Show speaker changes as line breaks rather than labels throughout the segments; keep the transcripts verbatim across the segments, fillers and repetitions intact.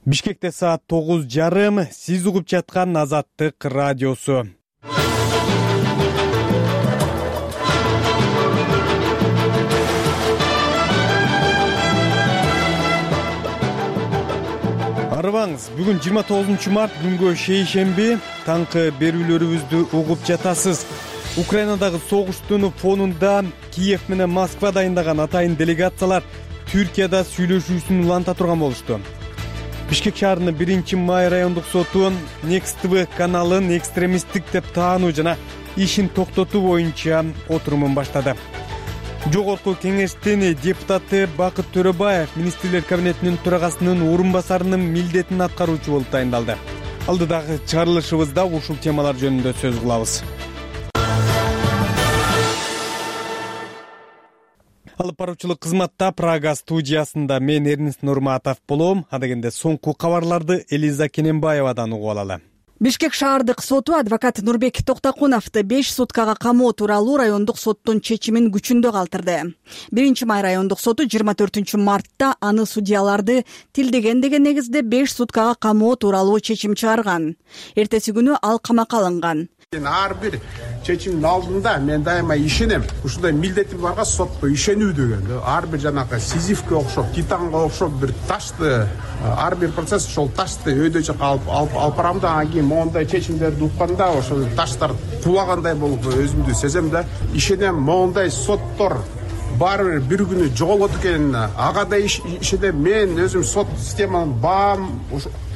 Бишкекте саат тогуз жарым. Сиз угуп жаткан Азаттык радиосу. Арыбаңыз, бүгүн жыйырма тогузунчу март күнгө шейшемби. Таңкы берүүлөрүбүздү угуп жатасыз. Украинадагы согуштун фонунда Киев менен Москва дайындаган атайын делегациялар Түркияда сүйлөшүүсүн уланта турган болушту. Бишкек шаарынын биринчи май райондук соту Next ти ви каналын экстремисттик деп таануу жана ишин токтотуу боюнча отурумун баштады. Жогорку кеңештин депутаты Бакыт Төрөбаев министрлер кабинетинин төрагасынын орун басарынын милдетин аткаруучу болуп дайындалды. Алдыдагы чыгарылышыбызда ушул темалар жөнүндө сөз кылабыз. Алып баруучулук кызматта Прага студиясында мен Эрнест Нурматов болом. Адегенде соңку кабарларды Элиза Кененбаевадан угуп алалы.
Бишкек шаардык соту адвокат Нурбек Токтокуновду беш суткага камоо тууралуу райондук соттун чечимин күчүндө калтырды. биринчи май райондук соту жыйырма төртүнчү мартта аны судьяларды тилдеген деген негизде беш суткага камоо тууралуу чечим чыгарган. Эртеси күнү ал камакка алынган.
Ар бир чечимдин алдында мен дайыма ишенем. Ушундай милдетим барга сотко ишенүү деген. Ар бир жанагы Сизифке окшоп, Титанга окшоп бир ташты, ар бир процесс ошол ташты өйдө жака алып алып барам да, анан кийин моундай чечимдерди укканда ошол таштар кулагандай болуп өзүмдү сезем да, ишенем моундай соттор баары бир бир күнү жоголот экен. Ага да ишенем, мен өзүм сот системанын баам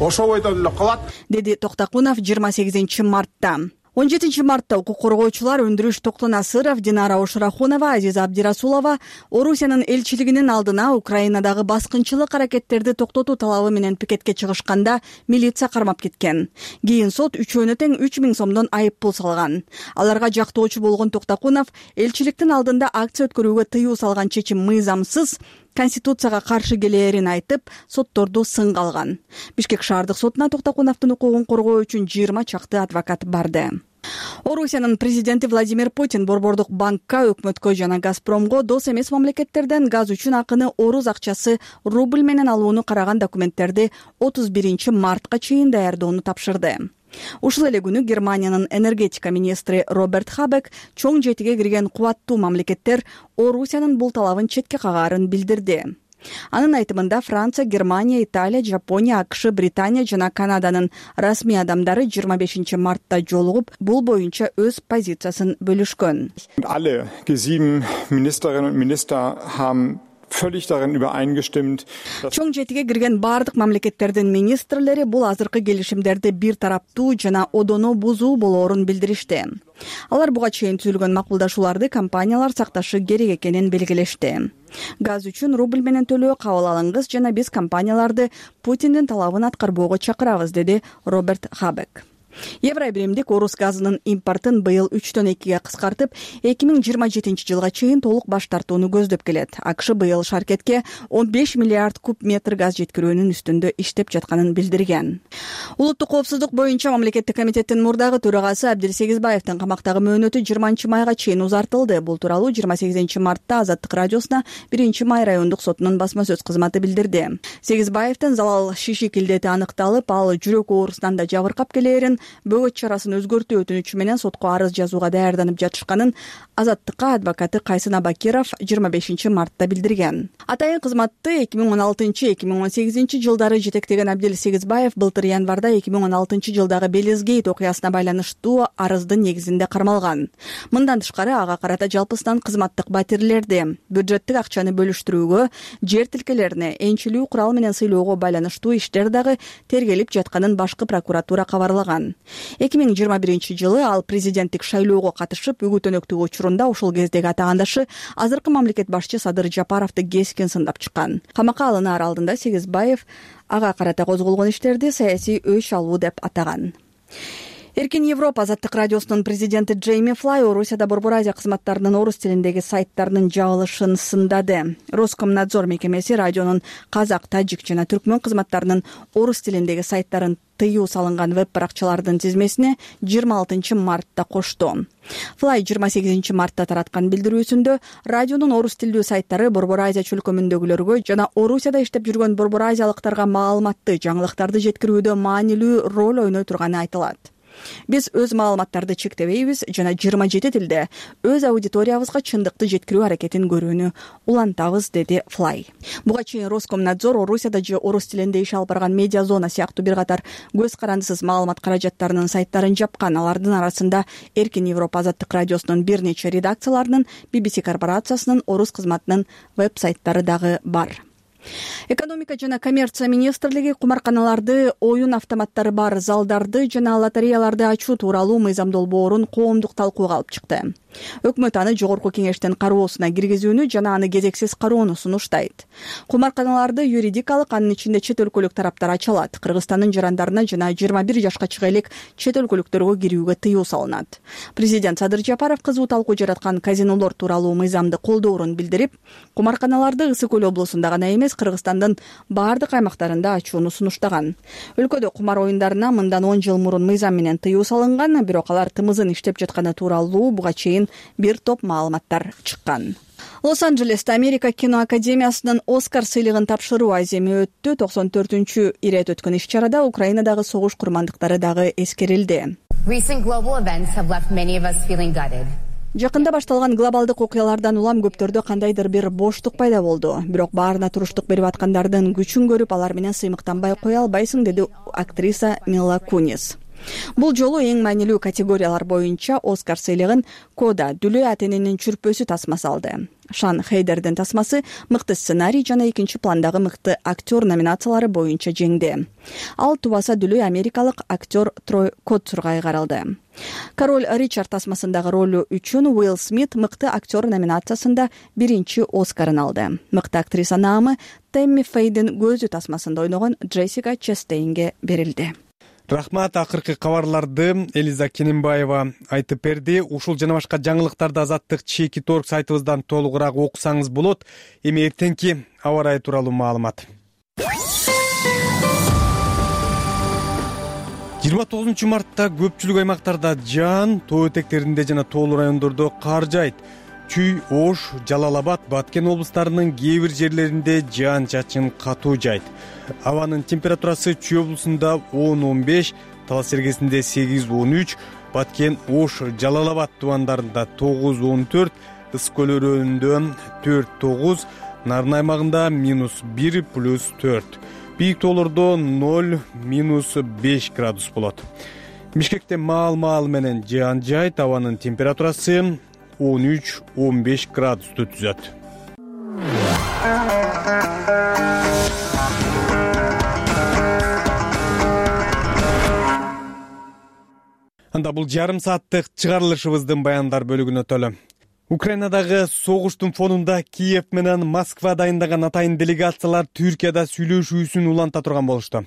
ошол бойдон эле калат,
деди Токтокунов жыйырма сегизинчи мартта. он жетинчи мартта укук коргоочулар Өндүрүш Токтонасыров, Динара Ошурахунова, Азиза Абдирасулова Орусиянын элчилигинин алдына Украинадагы баскынчылык аракеттерди токтотуу талабы менен пикетке чыгышканда милиция кармап кеткен. Кийин сот үчөөнө тең үч миң сомдон айып пул салган. Аларга жактоочу болгон Токтокунов элчиликтин алдында акция өткөрүүгө тыюу салган чечим мыйзамсыз, Конституцияга каршы келээрин айтып, сотторду сынга алган. Бишкек шаардык сотуна Токтокуновдун укугун коргоо үчүн жыйырма чакты адвокат барды. Орусиянын президенти Владимир Путин Борбордук банкка, өкмөткө жана Газпромго дос эмес мамлекеттерден газ үчүн акыны орус акчасы рубль менен алууну караган документтерди отуз биринчи мартка чейин даярдоону тапшырды. Ушул эле күнү Германиянын энергетика министри Роберт Хабек чоң жетиге кирген кубаттуу мамлекеттер Орусиянын бул талабын четке кагаарын билдирди. Анын айтымында Франция, Германия, Италия, Жапония, АКШ, Британия жана Канаданын расмий адамдары жыйырма бешинчи мартта жолугуп, бул боюнча өз позициясын бөлүшкөн.
Alle Г семь Ministerinnen und Minister haben völlig darin übereingestimmt.
Чоң жетиге кирген бардык мамлекеттердин министрлери бул азыркы келишимдерди бир тараптуу жана одоно бузуу болоорун билдиришти. Алар буга чейин түзүлгөн макулдашууларды компаниялар сакташы керек экенин белгилешти. Газ үчүн рубль менен төлөө кабыл алыңыз жана биз компанияларды Путиндин талабын аткарбоого чакырабыз, деди Роберт Хабек. Евробиримдик орус газынын импортун быйыл үчтөн экиге кыскартып, эки миң жыйырма жетинчи жылга чейин толук баш тартууну көздөп келет. АКШ быйыл шаркетке он беш миллиард куб метр газ жеткирүүнүн үстүндө иштеп жатканын билдирген. Улуттук коопсуздук боюнча мамлекеттик комитеттин мурдагы төрагасы Абдил Сегизбаевдин камактагы мөөнөтү жыйырманчы майга чейин узартылды. Бул тууралуу жыйырма сегизинчи мартта Азаттык радиосуна биринчи май райондук сотунун басма сөз кызматы билдирди. Сегизбаевдин залал шишик илдети аныкталып, ал жүрөк оорусунан да жабыркап келээрин, бөгөт чарасын өзгөртүү өтүнүчү менен сотко арыз жазууга даярданып жатышканын Азаттыкка адвокаты Кайсын Абакиров жыйырма бешинчи мартта билдирген. Атайын кызматты эки миң он алтынчы — эки миң он сегизинчи жылдары жетектеген Абдил Сегизбаев былтыр январда эки миң он алтынчы жылдагы Белизгейт окуясына байланыштуу арыздын негизинде кармалган. Мындан тышкары ага карата жалпысынан кызматтык батирлерди, бюджеттик акчаны бөлүштүрүүгө, жер тилкелерине, энчилүү курал менен сыйлоого байланыштуу иштер дагы тергелип жатканын башкы прокуратура кабарлаган. эки миң жыйырма биринчи жылы ал президенттик шайлоого катышып, үгүттөнөктүк учурунда ушул кездеги атагандашы азыркы мамлекет башчы Садыр Жапаровду кескин сындап чыккан. Камакка алынаар алдында Сегизбаев ага карата козголгон иштерди саясий өч алуу деп атаган. Эркин Европа азаттык радиосунун президенти Джейми Флай Орусияда Борбор Азия кызматтарынын орус тилиндеги сайттарынын жабылышын сындады. Роскомнадзор мекемеси радионун казак, тажик жана түркмөн кызматтарынын орус тилиндеги сайттарын тыюу салынган веб-баракчалардын тизмесине жыйырма алтынчы мартта кошту. Флай жыйырма сегизинчи мартта тараткан билдирүүсүндө радионун орус тилдүү сайттары Борбор Азия чөлкөмүндөгүлөргө жана Орусияда иштеп жүргөн борбор азиялыктарга маалыматты, жаңылыктарды жеткирүүдө маанилүү роль ойной турганы айтылат. Биз өз маалыматтарды чектебейбиз жана жыйырма жети тилде өз аудиториябызга чындыкты жеткирүү аракетин көрүүнү улантабыз, деди Флай. Буга чейин Роскомнадзор Орусияда же орус тилинде иш алып барган медиа зона сыяктуу бир катар көз карандысыз маалымат каражаттарынын сайттарын жапкан. Алардын арасында Эркин Европа азаттык радиосунун бир нече редакцияларынын, би би си корпорациясынын орус кызматынын веб-сайттары дагы бар. Экономика жана коммерция министрлиги кумарканаларды, оюн автоматтары бар залдарды жана лотереяларды ачуу тууралуу мыйзам долбоорун коомдук талкууга алып чыкты. Өкмөт аны жогорку кеңештин кароосуна киргизүүнү жана аны кезексиз кароону сунуштайт. Кумарканаларды юридикалык, анын ичинде чет өлкөлүк тараптар ача алат. Кыргызстандын жарандарына жана жыйырма бир жашка чыга элек чет өлкөлүктөргө кирүүгө тыюу салынат. Президент Садыр Жапаров кызуу талкуу жараткан казинолор тууралуу мыйзамды колдоорун билдирип, кумарканаларды Ысык Көл облусунда гана эмес, Кыргызстандын баардык аймактарында ачууну сунуштаган. Өлкөдө кумар оюндарына мындан он жыл мурун мыйзам менен тыюу салынган, бирок алар тымызын иштеп жатканы тууралуу буга чейин бир топ маалыматтар чыккан. Лос-Анджелесте Америка кино академиясынын Оскар сыйлыгын тапшыруу аземи өттү. токсон төртүнчү ирет өткөн иш-чарада Украинадагы согуш курмандыктары дагы эскерилди. Жакында башталган глобалдык окуялардан улам көптөрдө кандайдыр бир боштук пайда болду. Бирок баарына туруштук берип аткандардын күчүн көрүп, алар менен сыймыктанбай кое албайсың, деди актриса Мила Кунис. Бул жолу эң маанилүү категориялар боюнча Оскар сыйлыгын Кода Дүлө Атенинин чүрпөсү тасмасы алды. Шан Хейдердин тасмасы мыкты сценарий жана экинчи пландагы мыкты актер номинациялары боюнча жеңди. Ал тубаса Дүлө америкалык актер Трой Котцурга айгарылды. Король Ричард тасмасындагы ролу үчүн Уилл Смит мыкты актер номинациясында биринчи Оскарын алды. Мыкты актриса наамы Тэмми Фейдин көзү тасмасында ойногон Джессика Честейнге берилди.
Рахмат, акыркы кабарларды Элиза Кененбаева айтып берди. Ушул жана башка жаңылыктарды Азаттык чеки торг сайтыбыздан толугураак окусаңыз болот. Эми эртеңки аба ырайы тууралуу маалымат. жыйырма тогузунчу мартта көпчүлүк аймактарда жаан, тоо этектеринде жана тоолуу райондордо кар жайт. Чүй, Ош, Жалал-Абад, Баткен облустарынын кээ бир жерлеринде жаан-чачын катуу жайт. Абанын температурасы Чүй облусунда он он беш, Талас Сергесинде сегиз он үч, Баткен, Ош, Жалал-Абад тубандарында тогуз он төрт, Ысык Көл өрөөнүндө төрт тогуз, Нарын аймагында минус бир плюс төрт. Бийик тоолордо ноль минус беш градус болот. Бишкекте маал-маал менен жаан жайт, абанын температурасы он үч он беш градусту түзөт. Анда бул жарым сааттык чыгарылышыбыздын баяндар бөлүгүнө өтөлү. Украинадагы согуштун фонунда Киев менен Москва дайындаган атайын делегациялар Түркияда сүйлөшүүсүн уланта турган болушту.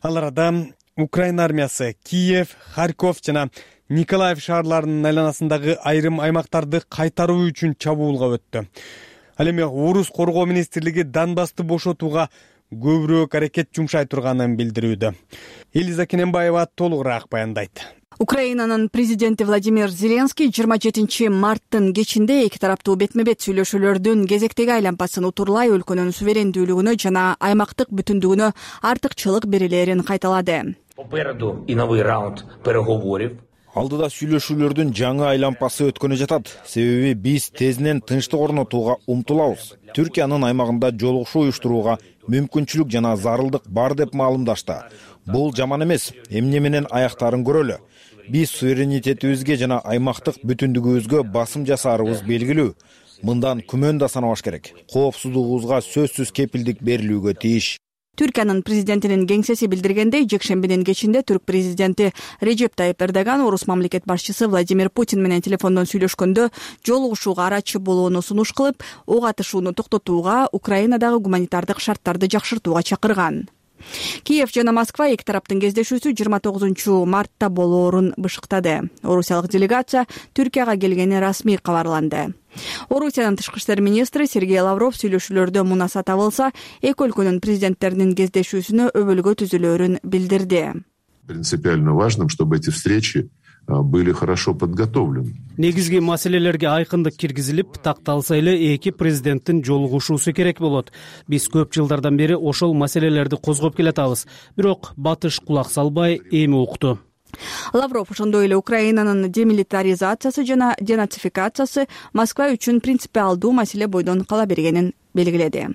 Аларда Украина армиясы Киев, Харьков жана Николаев шаарларынын айланасындагы айрым аймактарды кайтаруу үчүн чабуулга өттү. Ал эми Орус коргоо министрлиги Донбассты бошотууга көбүрөөк аракет жумшай турганын билдирүүдө. Элиза Кененбаева толугураак баяндайт.
Украинанын президенти Владимир Зеленский жыйырма жетинчи марттын кечинде эки тараптуу бетме-бет сүйлөшүүлөрдүн кезектеги айланпасын утурлай өлкөнүн суверендүүлүгүнө жана аймактык бүтүндүгүнө артыкчылык берилерин кайталады.
Попереду и новый раунд переговоров.
Алдыда сүйлөшүүлөрдүн жаңы айланпасы өткөнү жатат. Себеби биз тезинен тынчтык орнотууга умтулабыз. Түркиянын аймагында жолугушуу уюштурууга мүмкүнчүлүк жана зарылдык бар деп маалымдашты. Бул жаман эмес. Эмне менен аяктарын көрөлү. Биз суверенитетибизге жана аймактык бүтүндүгүбүзгө басым жасаарыбыз белгилүү. Мындан күмөн да санабаш керек. Коопсуздугубузга сөзсүз кепилдик берилүүгө тийиш.
Түркиянын президентинин кеңсеси билдиргендей, жекшембинин кечинде түрк президенти Режеп Тайып Эрдоган орус мамлекет башчысы Владимир Путин менен телефондон сүйлөшкөндө жолугушууга арачы болууну сунуш кылып, ок атышууну токтотууга, Украинадагы гуманитардык шарттарды жакшыртууга чакырган. Киев жана Москва эки тараптын кездешүүсү жыйырма тогузунчу мартта болоорун бышыктады. Орусиялык делегация Түркияга келгени расмий кабарланды. Орусиянын тышкы иштер министри Сергей Лавров сүйлөшүүлөрдө мунаса табылса, эки өлкөнүн президенттеринин кездешүүсүнө өбөлгө түзүлөөрүн билдирди.
Принципиально важным, чтобы эти встречи были хорошо подготовлены.
Негизги маселелерге айкындык киргизилип, такталса эле эки президенттин жолугушуусу керек болот. Биз көп жылдардан бери ошол маселелерди козгоп келатабыз. Бирок батыш кулак салбай эми укту.
Лавров ошондой эле Украинанын демилитаризациясы жана денацификациясы Москва үчүн принципиалдуу маселе бойдон кала бергенин белгиледи.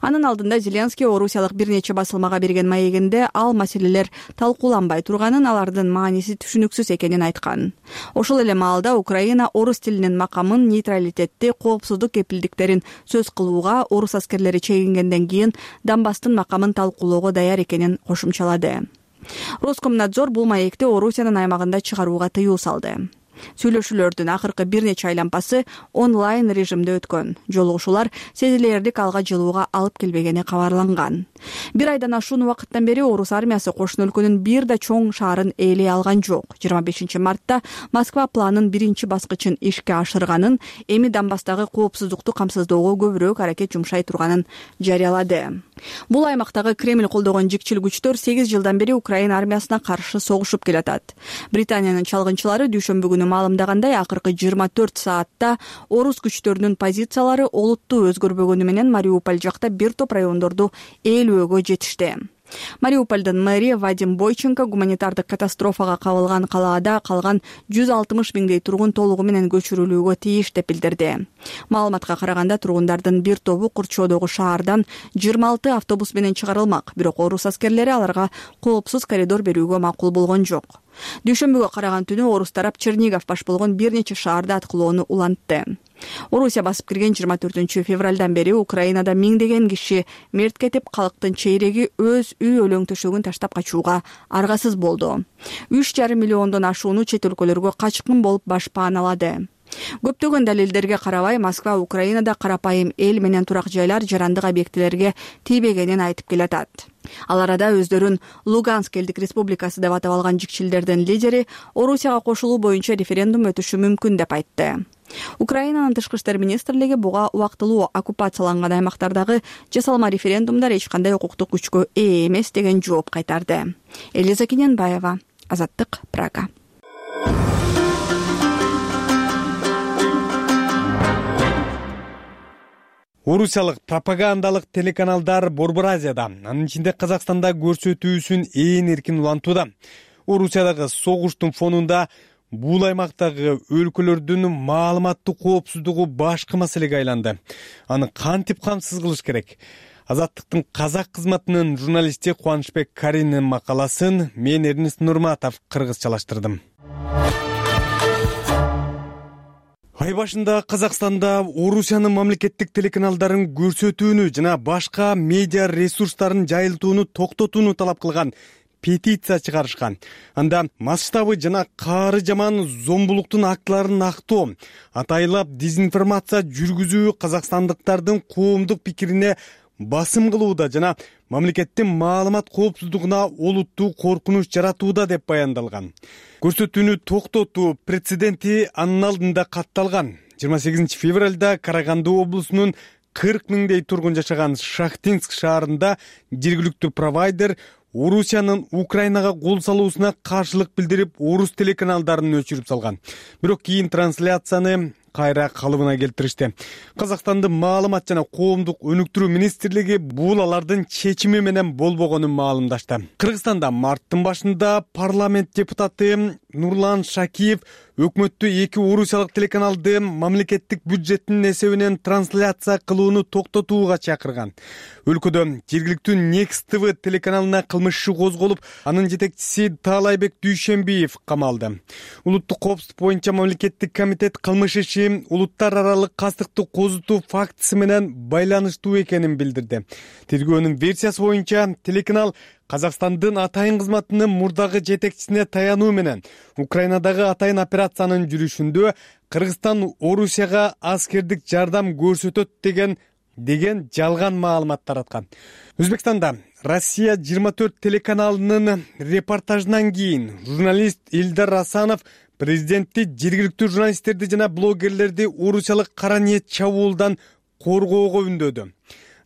Анын алдында Зеленский орусиялык бир нече басылмага берген маегинде ал маселелер талкууланбай турганын, алардын мааниси түшүнүксүз экенин айткан. Ошол эле маалда Украина орус тилинин макамын, нейтралитетти, коопсуздук кепилдиктерин сөз кылууга орус аскерлери чегингенден кийин Донбасстын макамын талкуулоого даяр экенин кошумчалады. Роскомнадзор бул маекти Орусиянын аймагында чыгарууга тыюу салды. Сүйлөшүүлөрдүн акыркы бир нече айланпасы онлайн режимде өткөн. Жолугушуулар сезилерлик алга жылууга алып келбегени кабарланган. Бир айдан ашуун убакыттан бери орус армиясы кошуна өлкөнүн бир да чоң шаарын ээлей алган жок. жыйырма бешинчи мартта Москва планын биринчи баскычын ишке ашырганын, эми Донбасстагы коопсуздукту камсыздоого көбүрөөк аракет жумшай турганын жарыялады. Бул аймактагы Кремль колдогон жикчил күчтөр сегиз жылдан бери Украина армиясына каршы согушуп келатат. Британиянын чалгынчылары дүйшөмбү күнү маалымдагандай, акыркы жыйырма төрт саатта орус күчтөрүнүн позициялары олуттуу өзгөрбөгөнү менен Мариуполь жакта бир топ райондорду ээлөөгө жетишти. Мариупольдун мэри Вадим Бойченко гуманитардык катастрофага кабылган калаада калган жүз алтымыш миңдей тургун толугу менен көчүрүлүүгө тийиш деп билдирди. Маалыматка караганда тургундардын бир тобу Курчоодогу шаардан жыйырма алты автобус менен чыгарылмак, бирок орус аскерлери аларга коопсуз коридор берүүгө макул болгон жок. Дүйшөмбүгө караган түнү орус тарап Чернигов баш болгон бир нече шаарда аткылоону улантты. Орусия басып кирген жыйырма төртүнчү февралдан бери Украинада миңдеген киши мерт кетип, калктын чейреги өз үй өлөң төшөгүн таштап качууга аргасыз болду. үч жарым миллиондон ашууну чет өлкөлөргө качкын болуп баш пааналады. Көптөгөн далилдерге карабай, Москва Украинада карапайым эл менен турак жайлар, жарандык объектилерге тийбегенин айтып келатат. Ал арада өздөрүн Луганск элдик республикасы деп атап алган жикчилдердин лидери Орусияга кошулуу боюнча референдум өтүшү мүмкүн деп айтты. Украинанын тышкы иштер министрлиги буга убактылуу оккупацияланган аймактардагы жасалма референдумдар эч кандай укуктук күчкө ээ эмес деген жооп кайтарды. Элиза Кененбаева, Азаттык, Прага.
Орусиялык пропагандалык телеканалдар Борбор Азияда, анын ичинде Казакстанда көрсөтүүсүн ээн эркин улантууда. Орусиядагы согуштун фонунда бул аймактагы өлкөлөрдүн маалыматтык коопсуздугу башкы маселеге айланды. Аны кантип камсыз кылыш керек? Азаттыктын казак кызматынын журналисти Кубанычбек Каринин макаласын мен Эрнест Нурматов кыргызчалаштырдым. Ай башында Казакстанда Орусиянын мамлекеттик телеканалдарын көрсөтүүнү жана башка медиа ресурстарын жайылтууну токтотууну талап кылган петиция чыгарышкан. Анда масштабы жана каары жаман зомбулуктун актыларын актоо, атайлап дезинформация жүргүзүү казакстандыктардын коомдук пикирине басым кылууда жана мамлекеттин маалымат коопсуздугуна олуттуу коркунуч жаратууда деп баяндалган. Көрсөтүүнү токтотуу прецеденти анын алдында катталган. жыйырма сегизинчи февралда Караганды облусунун кырк миңдей тургун жашаган Шахтинск шаарында жергиликтүү провайдер Орусиянын Украинага кол салуусуна каршылык билдирип, орус телеканалдарын өчүрүп салган. Бирок кийин трансляцияны кайра калыбына келтиришти. Казакстандын маалымат жана коомдук өнүктүрүү министрлиги бул алардын чечими менен болбогонун маалымдашты. Кыргызстанда марттын башында парламент депутаты Нурлан Шакиев өкмөттү эки орусиялык телеканалды мамлекеттик бюджеттин эсебинен трансляция кылууну токтотууга чакырган. Өлкөдө жергиликтүү Next ти ви телеканалына кылмыш иши козголуп, анын жетекчиси Таалайбек Дүйшөмбиев камалды. Улуттук коопсуздук боюнча мамлекеттик комитет кылмыш иши улуттар аралык кастыкты козутуу фактысы менен байланыштуу экенин билдирди. Тергөөнүн версиясы боюнча телеканал Казакстандын атайын кызматынын мурдагы жетекчисине таянуу менен Украинадагы атайын операциянын жүрүшүндө Кыргызстан Орусияга аскердик жардам көрсөтөт деген деген жалган маалымат тараткан. Өзбекстанда Россия жыйырма төрт телеканалынын репортажынан кийин журналист Элдар Асанов президентти жергиликтүү журналисттерди жана блогерлерди орусиялык кара ниет чабуулдан коргоого үндөдү.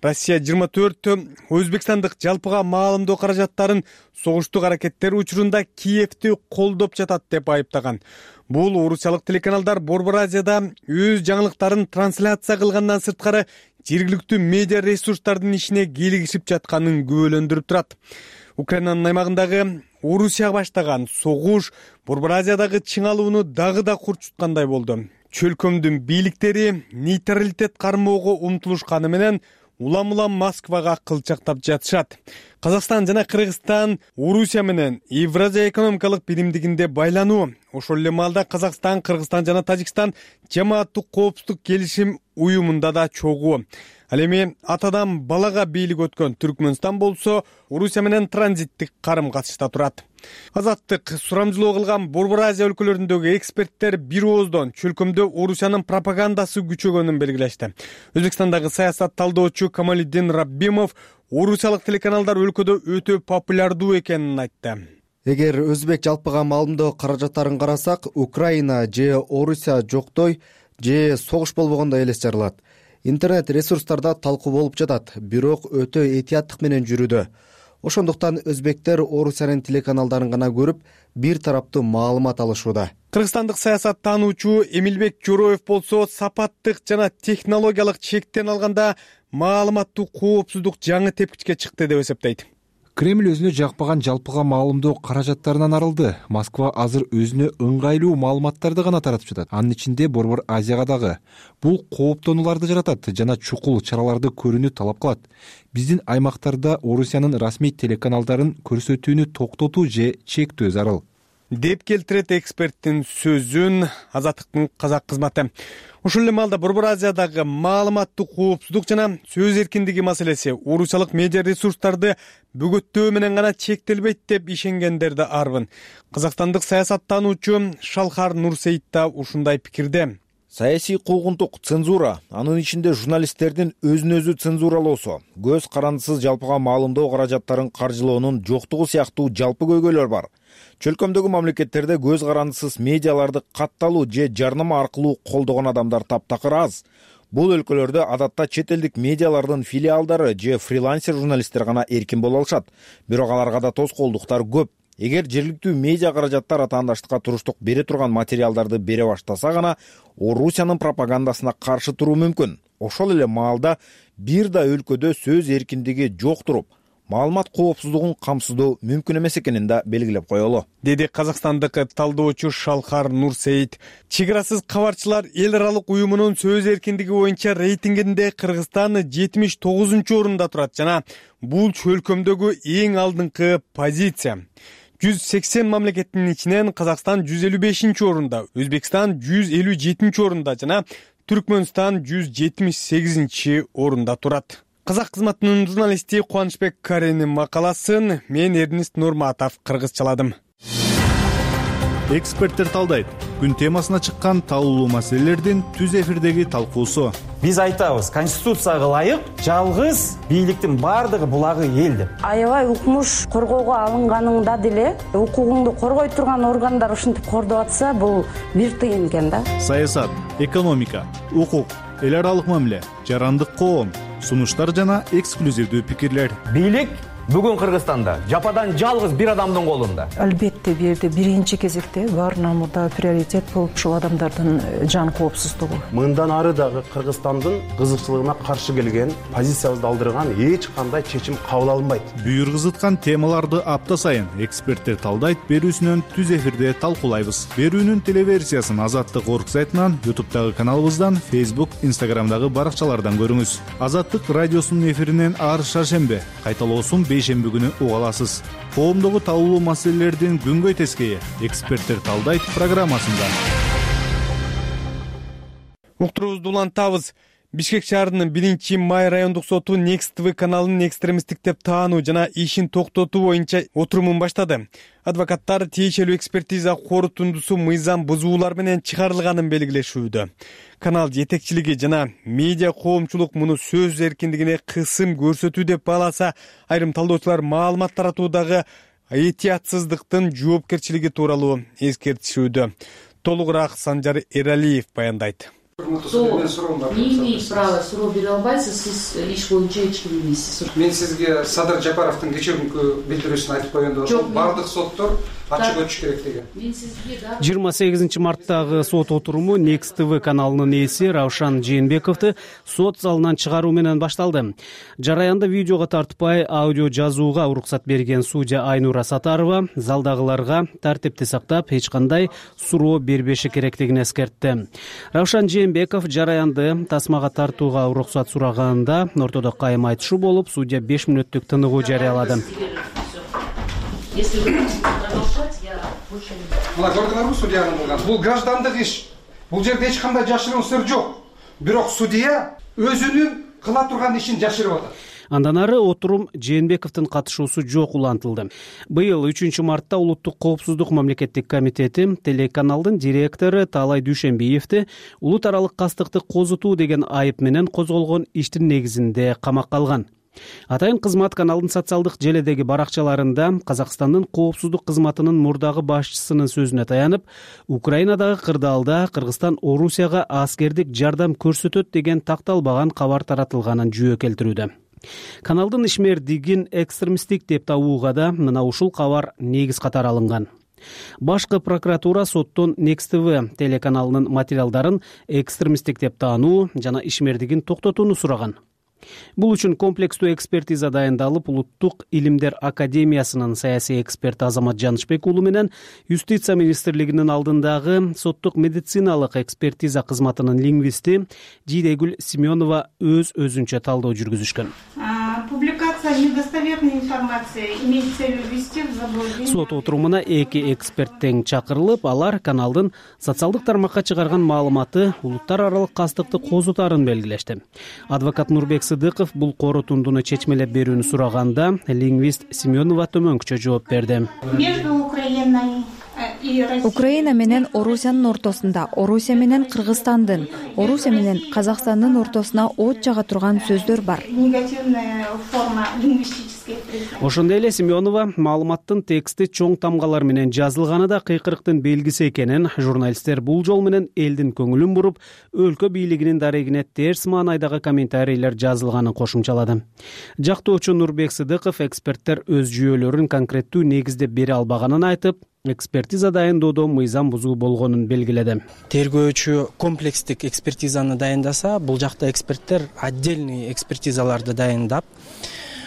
Россия жыйырма төрт Өзбекстандык жалпыга маалымдоо каражаттарын согуштук аракеттер учурунда Киевти колдоп жатат деп айыптаган. Бул орусиялык телеканалдар Борбор Азияда өз жаңылыктарын трансляция кылгандан сырткары жергиликтүү медиа ресурстардын ишине келигишип жатканын күбөлөндүрүп турат. Украинанын аймагындагы Орусия баштаган согуш Борбор Азиядагы чыңалууну дагы да курчуткандай болду. Чөлкөмдүн бийликтери нейтралитет кармоого умтулушканы менен улам-улам Москвага кылчактап жатышат. Казакстан жана Кыргызстан Орусия менен Евразия экономикалык биримдигинде байлануу. Ошол эле маалда Казакстан, Кыргызстан жана Тажикстан жамааттык коопсуздук келишим уюмунда да чогуу. Ал эми атадан балага бийлик өткөн Түркмөнстан болсо Орусия менен транзиттик карым-катышта турат. Азаттык сурамжылоо кылган Борбор Азия өлкөлөрүндөгү эксперттер бир ооздон чөлкөмдө Орусиянын пропагандасы күчөгөнүн белгилешти. Өзбекстандагы саясат талдоочу Камалиддин Раббимов орусиялык телеканалдар өлкөдө өтө популярдуу экенин айтты.
Эгер өзбек жалпыга маалымдоо каражаттарын карасак, Украина же Орусия жоктой же согуш болбогондой элес жаралат. Интернет ресурстарда талкуу болуп жатат, бирок өтө этияттык менен жүрүүдө. Ошондуктан өзбектер Орусиянын телеканалдарын гана көрүп, бир тараптуу маалымат алышууда.
Кыргызстандык саясат таануучу Эмилбек Жороев болсо сапаттык жана технологиялык чектен алганда маалыматтуу коопсуздук жаңы тепкичке чыкты деп эсептейт.
Кремль өзүнө жакпаган жалпыга маалымдоо каражаттарынан арылды. Москва азыр өзүнө ыңгайлуу маалыматтарды гана таратып жатат. Анын ичинде Борбор Азияга дагы. Бул кооптонууларды жаратат жана чукул чараларды көрүүнү талап кылат. Биздин аймактарда Орусиянын расмий телеканалдарын көрсөтүүнү токтотуу же чектөө зарыл
деп келтирет эксперттин сөзүн Азаттыктын казак кызматы. Ошол эле маалда Борбор Азиядагы маалыматтык коопсуздук жана сөз эркиндиги маселеси орусиялык медиа ресурстарды бөгөттөө менен гана чектелбейт деп ишенгендер да арбын. Казакстандык саясаттануучу Шалхар Нурсейит да ушундай пикирде.
Саясий куугунтук, цензура, анын ичинде журналисттердин өзүн өзү цензуралоосу, көз карандысыз жалпыга маалымдоо каражаттарын каржылоонун жоктугу сыяктуу жалпы көйгөйлөр бар. Чөлкөмдөгү мамлекеттерде көз карандысыз медиаларды катталуу же жарнама аркылуу колдогон адамдар таптакыр аз. Бул өлкөлөрдө адатта чет элдик медиалардын филиалдары же фрилансер журналисттер гана эркин боло алышат. Бирок аларга да тоскоолдуктар көп. Эгер жергиликтүү медиа каражаттар атаандаштыкка туруштук бере турган материалдарды бере баштаса гана Орусиянын пропагандасына каршы туруу мүмкүн. Ошол эле маалда бир да өлкөдө сөз эркиндиги жок туруп, маалымат коопсуздугун камсыздоо мүмкүн эмес экенин да белгилеп коелу,
деди казакстандык талдоочу Шалхар Нурсейит. Чек арасыз кабарчылар эл аралык уюмунун сөз эркиндиги боюнча рейтингинде Кыргызстан жетимиш тогузунчу орунда турат жана бул чөлкөмдөгү эң алдыңкы позиция. жүз сексен мамлекеттин ичинен Казакстан жүз элүү бешинчи орунда, Өзбекстан жүз элүү жетинчи орунда жана Түркмөнстан жүз жетимиш сегизинчи орунда турат. Казак кызматынын журналисти Кубанычбек Каренин макаласын мен Эрнист Нурматов кыргызчаладым.
Эксперттер талдайт. Күн темасына чыккан талкуулуу маселелердин түз эфирдеги талкуусу.
Биз айтабыз, конституцияга ылайык жалгыз бийликтин бардыгы булагы эл деп.
Аябай укмуш коргоого алынганыңда деле укугуңду коргой турган органдар ушинтип кордоп атса, бул бир тыйын экен да.
Саясат, экономика, укук, эл аралык мамиле, жарандык коом, сунуштар жана эксклюзивдүү пикирлер.
Бийлик бүгүн Кыргызстанда жападан жалгыз бир адамдын колунда.
Албетте бул жерде биринчи кезекте баарынан мурда приоритет болуп ушул адамдардын жан коопсуздугу.
Мындан ары дагы Кыргызстандын кызыкчылыгына каршы келген, позициябызды алдырган эч кандай чечим кабыл алынбайт.
Бүйүр кызыткан темаларды апта сайын эксперттер талдайт берүүсүнөн түз эфирде талкуулайбыз. Берүүнүн телеверсиясын Азаттык орг сайтынан, ютубтагы каналыбыздан, Facebook, Instagramдагы баракчалардан көрүңүз. Азаттык радиосунун эфиринен ар шаршембе, кайталоосун бейшемби күнү уга аласыз. Коомдогу талкуулуу маселелердин күнгөй тескейи эксперттер талдайт программасында.
Уктуруубузду улантабыз. Бишкек шаарынын биринчи май райондук соту Next ти ви каналын экстремисттик деп таануу жана ишин токтотуу боюнча отурумун баштады. Адвокаттар тиешелүү экспертиза корутундусу мыйзам бузуулар менен чыгарылганын белгилешүүдө. Канал жетекчилиги жана медиа коомчулук муну сөз эркиндигине кысым көрсөтүү деп бааласа, айрым талдоочулар маалымат таратуудагы этиятсыздыктын жоопкерчилиги тууралуу эскертишүүдө. Толугураак Санжар Эралиев баяндайт.
Не имеет права суроо бере албайсыз, сиз иш боюнча эч ким эмессиз.
Мен сизге Садыр Жапаровдун кечирүүнкү билдирүүсүн айтып койгондо ошол бардык соттор ачык өтүш керек деген.
Мен сизге
жыйырма сегизинчи марттагы сот отуруму Next ти ви каналынын ээси Равшан Жээнбековду сот залынан чыгаруу менен башталды. Жараянды видеого тартпай аудио жазууга уруксат берген судья Айнура Сатарова залдагыларга тартипти сактап, эч кандай суроо бербеши керектигин эскертти. Равшан Жээнбеков жараянды тасмага тартууга уруксат сураганында ортодо кайым айтышуу болуп, судья беш мүнөттүк тыныгуу жарыялады.
Если вы хотите продолжать, я больше не буду.
Мына көрдүңөрбү судьянын кылган? Бул граждандык иш. Бул жерде эч кандай жашыруун сыр жок. Бирок судья өзүнүн кыла турган ишин жашырып атат.
Андан ары отурум Жээнбековдун катышуусу жок улантылды. Быйыл үчүнчү мартта Улуттук коопсуздук мамлекеттик комитети телеканалдын директору Таалай Дүйшөнбиевди улут аралык кастыкты козутуу деген айып менен козголгон иштин негизинде камакка алган. Атайын кызмат каналдын социалдык желедеги баракчаларында Казакстандын коопсуздук кызматынын мурдагы башчысынын сөзүнө таянып, Украинадагы кырдаалда Кыргызстан Орусияга аскердик жардам көрсөтөт деген такталбаган кабар таратылганын жүйө келтирүүдө. Каналдын ишмердигин экстремисттик деп табууга да мына ушул кабар негиз катары алынган. Башкы прокуратура соттон Next ти ви телеканалынын материалдарын экстремисттик деп таануу жана ишмердигин токтотууну сураган. Бул үчүн комплекстүү экспертиза дайындалып, Улуттук илимдер академиясынын саясий эксперти Азамат Жанышбек уулу менен Юстиция министрлигинин алдындагы соттук медициналык экспертиза кызматынын лингвисти Жидегүл Семенова өз өзүнчө талдоо жүргүзүшкөн.
Публикация недостоверной информации имеет целью ввести в заблуждение.
Сот отурумуна эки эксперт тең чакырылып, алар каналдын социалдык тармакка чыгарган маалыматы улуттар аралык кастыкты козутарын белгилешти. Адвокат Нурбек Сыдыков бул корутундуну чечмелеп берүүнү сураганда, лингвист Семенова төмөнкүчө жооп берди.
Между Украиной
Украина менен Орусиянын ортосунда, Орусия менен Кыргызстандын, Орусия менен Казакстандын ортосуна от жага турган сөздөр бар.
Негативная форма лингвистических.
Ошондой эле Семенова маалыматтын тексти чоң тамгалар менен жазылганы да кыйкырыктын белгиси экенин, журналисттер бул жол менен элдин көңүлүн буруп, өлкө бийлигинин дарегине терс маанайдагы комментарийлер жазылганын кошумчалады. Жактоочу Нурбек Сыдыков эксперттер өз жүйөлөрүн конкреттүү негизде бере албаганын айтып, экспертиза дайындоодо мыйзам бузуу болгонун белгиледи.
Тергөөчү комплекстик экспертизаны дайындаса, бул жакта эксперттер отдельный экспертизаларды дайындап,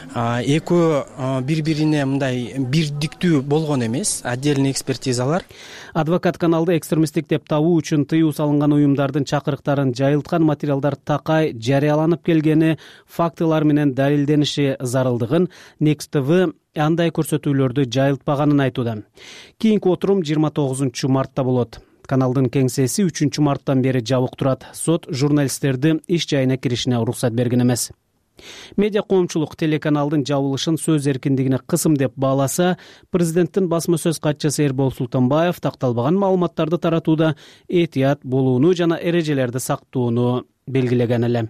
экөө бири-бирине мындай бирдиктүү болгон эмес, отдельный экспертизалар.
Адвокат каналды экстремисттик деп табуу үчүн тыюу салынган уюмдардын чакырыктарын жайылткан материалдар такай жарыяланып келгени, фактылар менен далилдениши зарылдыгын Next ти ви андай көрсөтүүлөрдү жайылтпаганын айтууда. Кийинки отурум жыйырма тогузунчу мартта болот. Каналдын кеңсеси үчүнчү марттан бери жабык турат. Сот журналисттерди иш жайына киришине уруксат берген эмес. Медиа коомчулук телеканалдын жабылышын сөз эркиндигине кысым деп бааласа, президенттин басма сөз катчысы Эрбол Султанбаев такталбаган маалыматтарды таратууда этият болууну жана эрежелерди сактоону белгилеген эле.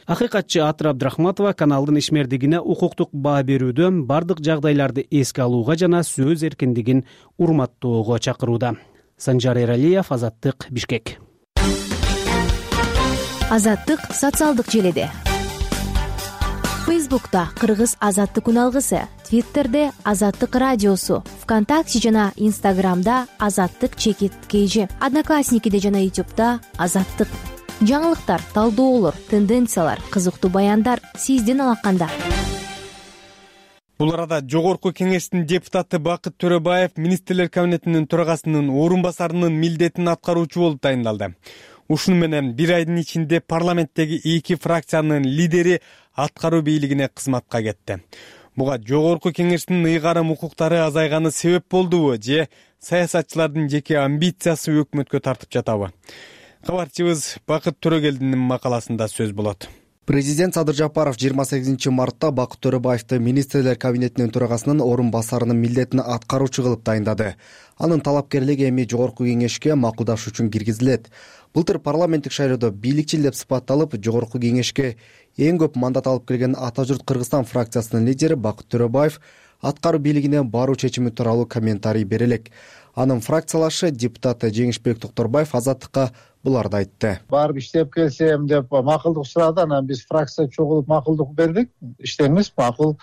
Акыйкатчы Атыр Абдрахматова каналдын ишмердигине укуктук баа берүүдө бардык жагдайларды эске алууга жана сөз эркиндигин урматтоого чакырууда. Санжар Эралиев, Азаттык, Бишкек.
Азаттык социалдык желеде. Фейсбукта Кыргыз Азаттык үналгысы, Твиттерде Азаттык радиосу, ВКонтакте жана Инстаграмда Азаттык чекит кейжи, Одноклассникиде жана Ютубта Азаттык. Жаңылыктар, талдоолор, тенденциялар, кызыктуу баяндар сиздин алаканда.
Бул арада Жогорку Кеңештин депутаты Бакыт Төрөбаев министрлер кабинетинин төрагасынын орун басарынын милдетин аткаруучу болуп дайындалды. Ушуну менен бир айдын ичинде парламенттеги эки фракциянын лидери аткаруу бийлигине кызматка кетти. Буга Жогорку Кеңештин ыйгарым укуктары азайганы себеп болдубу же саясатчылардын жеке амбициясы өкмөткө тартып жатабы? кабарчыбыз Бакыт Төрөгелдинин макаласында сөз болот.
Президент Садыр Жапаров жыйырма сегизинчи мартта Бакыт Төрөбаевди министрлер кабинетинин төрагасынын орун басарынын милдетин аткаруучу кылып дайындады. Анын талапкерлиги эми жогорку кеңешке макулдаш үчүн киргизилет. Былтыр парламенттик шайлоодо бийликчил деп сыпатталып, жогорку кеңешке эң көп мандат алып келген Ата журт Кыргызстан фракциясынын лидери Бакыт Төрөбаев аткаруу бийлигине баруу чечими тууралуу комментарий бере элек. Анын фракциялашы депутат Жеңишбек Токторбаев Азаттыкка буларды айтты.
Барып иштеп келсем деп макулдук сурады, анан биз фракция чогулуп макулдук бердик. Иштеңиз макул,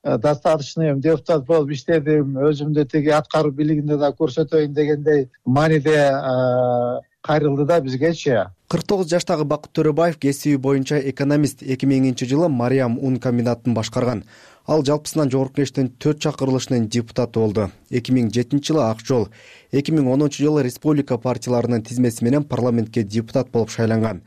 достаточно эми депутат болуп иштедим, өзүмдү тиги аткаруу бийлигинде да көрсөтөйүн дегендей мааниде кайрылды да бизгечи.
кырк тогуз жаштагы Бакыт Төрөбаев кесиби боюнча экономист. эки миңинчи жылы Мариам ун комбинатын башкарган. Ал жалпысынан жогорку кеңештин төрт чакырылышынын депутаты болду. эки миң жетинчи жылы Ак жол, эки миң онунчу жылы республика партияларынын тизмеси менен парламентке депутат болуп шайланган.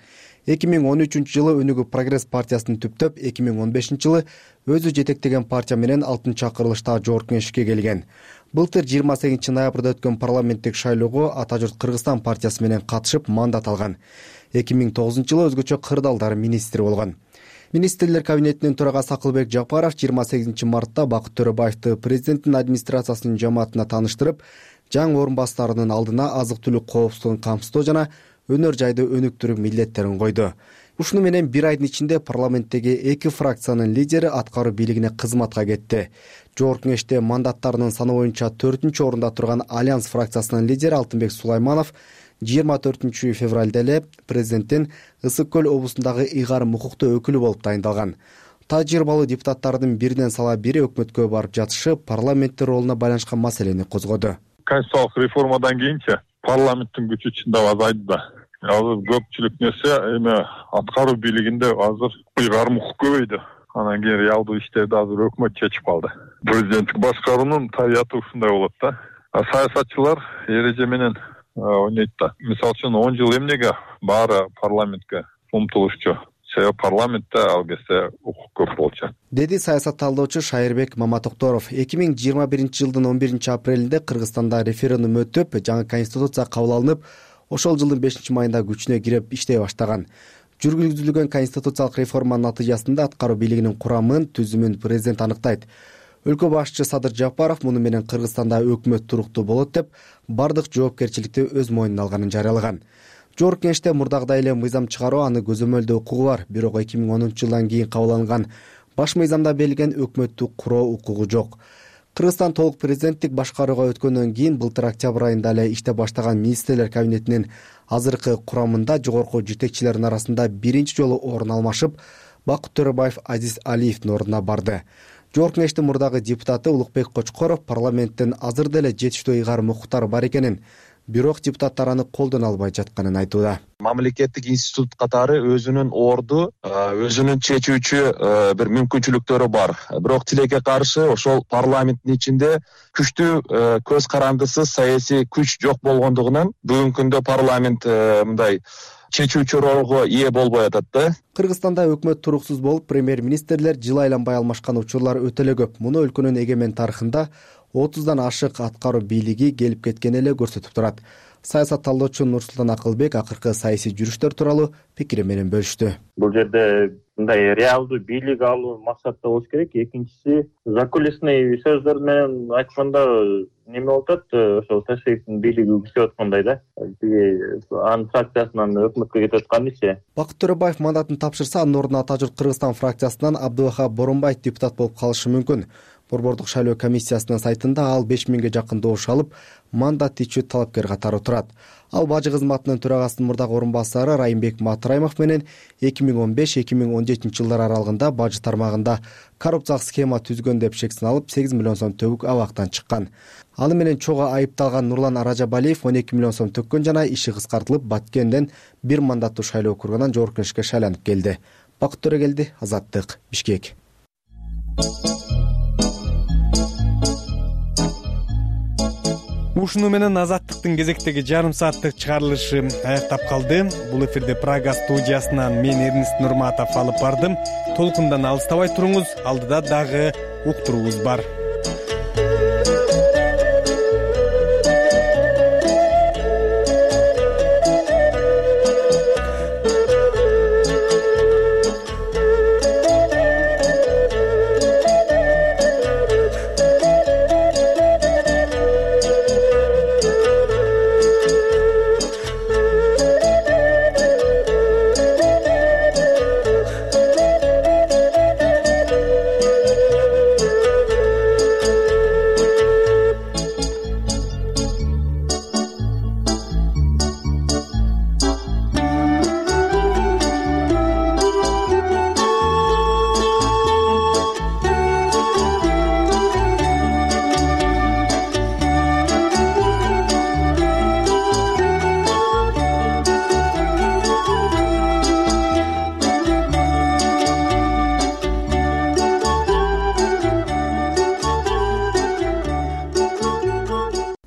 эки миң он үчүнчү жылы Өнүгүү прогресс партиясын түптөп, эки миң он бешинчи жылы өзү жетектеген партия менен алтынчы чакырылышта жогорку кеңешке келген. Былтыр жыйырма сегизинчи ноябрда өткөн парламенттик шайлоого Ата журт Кыргызстан партиясы менен катышып мандат алган. эки миң тогузунчу жылы өзгөчө кырдаалдар министри болгон. Министрлер кабинетинин төрагасы Акылбек Жапаров жыйырма сегизинчи мартта Бакыт Төрөбаевди президенттин администрациясынын жамаатына тааныштырып, жаңы орун басарынын алдына азык-түлүк коопсуздугун камсыздоо жана өнөр жайды өнүктүрүү милдеттерин койду. Ушуну менен бир айдын ичинде парламенттеги эки фракциянын лидери аткаруу бийлигине кызматка кетти. Жогорку кеңеште мандаттарынын саны боюнча төртүнчү орунда турган Альянс фракциясынын лидери Алтынбек Сулайманов жыйырма төртүнчү февралда эле президенттин Ысык көл облусундагы ыйгарым укуктуу өкүлү болуп дайындалган. Тажрыйбалуу депутаттардын биринен сала бири өкмөткө барып жатышы парламенттин ролуна байланышкан маселени козгоду.
Конституциялык реформадан кийинчи парламенттин күчү чындап азайды да. Азыр көпчүлүк нерсе эми аткаруу бийлигинде азыр ыйгарым укук көбөйдү. Анан кийин реалдуу иштерди азыр өкмөт чечип калды. Президенттик башкаруунун табияты ушундай болот да. Саясатчылар эреже менен ойнойт да. Мисалы үчүн он жыл эмнеге баары парламентке умтулушчу? Себеби парламентте ал кезде укук көп болчу.
Деди саясат талдоочу Шайырбек Маматокторов. эки миң жыйырма биринчи жылдын он биринчи апрелинде Кыргызстанда референдум өтүп, жаңы конституция кабыл алынып, ошол жылдын бешинчи майында күчүнө кирип иштей баштаган. Жүргүзүлгөн конституциялык реформанын натыйжасында аткаруу бийлигинин курамын, түзүмүн президент аныктайт. Өлкө башчысы Садыр Жапаров муну менен Кыргызстанда өкмөт туруктуу болот деп, бардык жоопкерчиликти өз мойнуна алганын жарыялаган. Жогорку кеңеште мурдагыдай эле мыйзам чыгаруу аны көзөмөлдөө укугу бар, бирок эки миң онунчу жылдан кийин кабыл алынган баш мыйзамда берилген өкмөттү куруу укугу жок. Кыргызстан толук президенттик башкарууга өткөндөн кийин былтыр октябрь айында эле иштеп баштаган министрлер кабинетинин азыркы курамында жогорку жетекчилердин арасында биринчи жолу орун алмашып, Бакыт Төрөбаев Азиз Алиевдин ордуна барды. Жогорку кеңештин мурдагы депутаты Улукбек Кочкоров парламенттин азыр деле жетиштүү ыйгарым укуктары бар экенин, бирок депутаттар аны колдоно албай жатканын айтууда.
Мамлекеттик институт катары өзүнүн орду, өзүнүн чечүүчү бир мүмкүнчүлүктөрү бар. Бирок тилекке каршы ошол парламенттин ичинде күчтүү көз карандысыз саясий күч жок болгондугунан бүгүнкү күндө парламент мындай чечүүчү ролго ээ болбой атат да.
Кыргызстанда өкмөт туруксуз болуп, премьер-министрлер жыл айланбай алмашкан учурлар өтө эле көп. Муну өлкөнүн эгемен тарыхында отуздан ашык аткаруу бийлиги келип кеткен эле көрсөтүп турат. Саясат талдоочу Нурсултан Акылбек акыркы саясий жүрүштөр тууралуу пикири менен бөлүштү.
Бул жерде мындай реалдуу бийлик алуу максатта болуш керек. Экинчиси, закулисный сөздөр менен айтканда неме болуп атат, ошол Ташкенттин бийлиги күчөп аткандай да. Анын фракциясынан өкмөткө кетип аткан иши.
Бакыт Төрөбаев мандатын тапшырса, анын ордуна Ата журт Кыргызстан фракциясынан Абдывахап Боронбаев депутат болуп калышы мүмкүн. Борбордук шайлоо комиссиясынын сайтында ал беш миңге жакын добуш алып, мандат ичүү талапкер катары турат. Ал бажы кызматынын төрагасынын мурдагы орун басары Райымбек Матраимов менен эки миң он беш эки миң он жетинчи жылдар аралыгында бажы тармагында коррупциялык схема түзгөн деп шек сыналып, сегиз миллион сом төбүк абактан чыккан. Аны менен чогуу айыпталган Нурлан Аражабалиев он эки миллион сом төккөн жана иши кыскартылып, Баткенден бир мандаттуу шайлоо округунан жогорку кеңешке шайланып келди. Бакыт Төрөгелди, Азаттык, Бишкек.
Ушуну менен Азаттыктын кезектеги жарым сааттык чыгарылышы аяктап калды. Бул эфирде Прага студиясынан мен Эрнест Нурматов алып бардым. Толкундан алыстабай туруңуз, алдыда дагы уктуруубуз бар.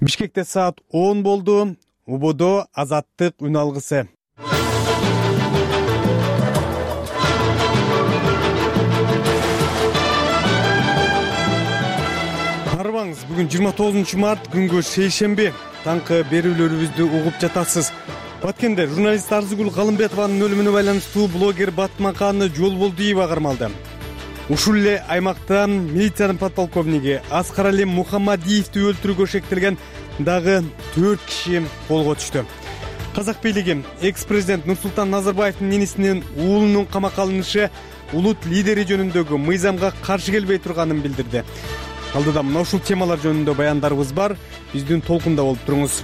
Бишкекте саат он болду. Убодо Азаттык үн алгысы. Арбаңыз, бүгүн жыйырма тогузунчу март, күнгө шейшемби. Таңкы берүүлөрүбүздү угуп жатасыз. Баткенде журналист Арзыгүл Калымбетованын өлүмүнө байланыштуу блогер Батмаканы Жолболдиева кармалды. Ушул эле аймакта милициянын подполковниги Аскарали Мухаммадиевди өлтүрүүгө шектелген дагы төрт киши колго түштү. Казак бийлиги экс-президент Нурсултан Назарбаевдин ненисинин уулунун камакка алынышы улут лидери жөнүндөгү мыйзамга каршы келбей турганын билдирди. Алдыда мына ушул темалар жөнүндө баяндарыбыз бар. Биздин толкунда болуп туруңуз.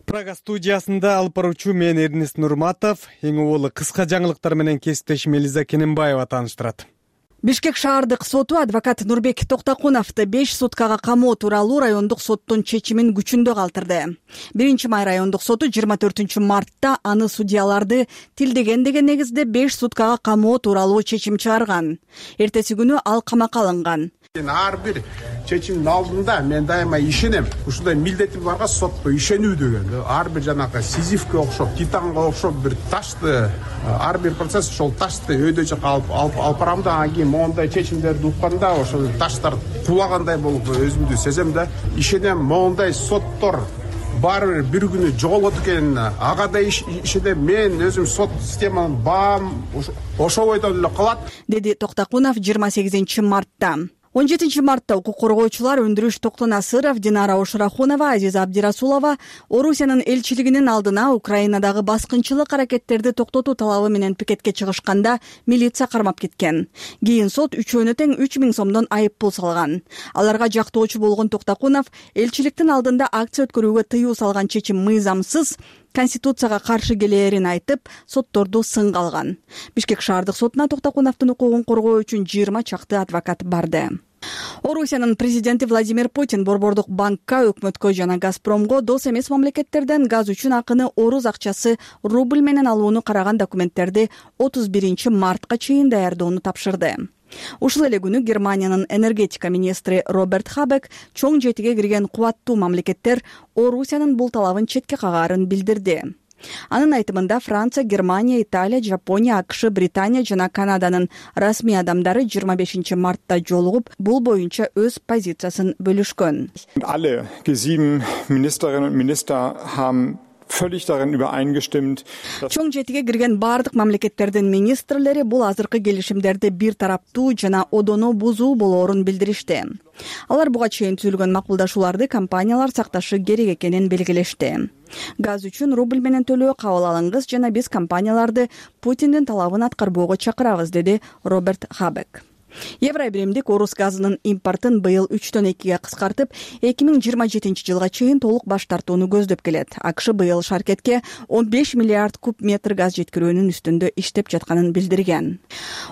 Прага студиясында алып баруучу мен Эрнест Нурматов, эң оболу кыска жаңылыктар менен кесиптешим Элиза Кененбаева тааныштырат.
Бишкек шаардык соту адвокат Нурбек Токтокуновду беш суткага камоо тууралуу райондук соттун чечимин күчүндө калтырды. Биринчи май райондук соту жыйырма төртүнчү мартта аны судьяларды тилдеген деген негизде беш суткага камоо тууралуу чечим чыгарган. Эртеси күнү ал камакка алынган.
Ар бир чечимдин алдында мен дайыма ишенем. Ушундай милдетим барга сотто ишенүү деген. Ар бир жанагы Сизифке окшоп, Титанга окшоп бир ташты, ар бир процесс ошол ташты өйдөчө калып алып барам да, анан кийин моундай чечимдерди укканда ошол таштар кулагандай болуп өзүмдү сезем да, ишенем моундай соттор баары бир бир күнү жоголот экен. Ага да ишенем, мен өзүм сот системанын баам ошол бойдон эле калат,
деди Токтокунов жыйырма сегизинчи мартта. он жетинчи мартта укук коргоочулар Өндүрүш Токтонасыров, Динара Ошурахунова, Азиза Абдирасулова Орусиянын элчилигинин алдына Украинадагы баскынчылык аракеттерди токтотуу талабы менен пикетке чыгышканда милиция кармап кеткен. Кийин сот үчөөнө тең үч миң сомдон айып пул салган. Аларга жактоочу болгон Токтокунов элчиликтин алдында акция өткөрүүгө тыюу салган чечим мыйзамсыз, Конституцияга каршы келээрин айтып, сотторду сынга алган. Бишкек шаардык сотуна Токтокуновдун укугун коргоо үчүн жыйырма чакты адвокат барды. Орусиянын президенти Владимир Путин Борбордук банкка, өкмөткө жана Газпромго дос эмес мамлекеттерден газ үчүн акыны орус акчасы рубль менен алууну караган документтерди отуз биринчи мартка чейин даярдоону тапшырды. Ушул эле күнү Германиянын энергетика министри Роберт Хабек чоң жетиге кирген кубаттуу мамлекеттер Орусиянын бул талабын четке кагаарын билдирди. Анын айтымында Франция, Германия, Италия, Жапония, АКШ, Британия жана Канаданын расмий адамдары жыйырма бешинчи мартта жолугуп, бул боюнча өз позициясын бөлүшкөн.
Alle G sieben Ministerinnen und Minister haben völlig darin übereingestimmt.
Чоң жетиге кирген бардык мамлекеттердин министрлери бул азыркы келишимдерди бир тараптуу жана одоно бузуу болоорун билдиришти. Алар буга чейин түзүлгөн макулдашууларды компаниялар сакташы керек экенин белгилешти. Газ үчүн рубль менен төлөө кабыл алыңыз жана биз компанияларды Путиндин талабын аткарбоого чакырабыз, деди Роберт Хабек. Евробиримдик орус газынын импортун быйыл үчтөн экиге кыскартып, эки миң жыйырма жетинчи жылга чейин толук баш тартууну көздөп келет. АКШ быйыл шаркетке он беш миллиард куб метр газ жеткирүүнүн үстүндө иштеп жатканын билдирген.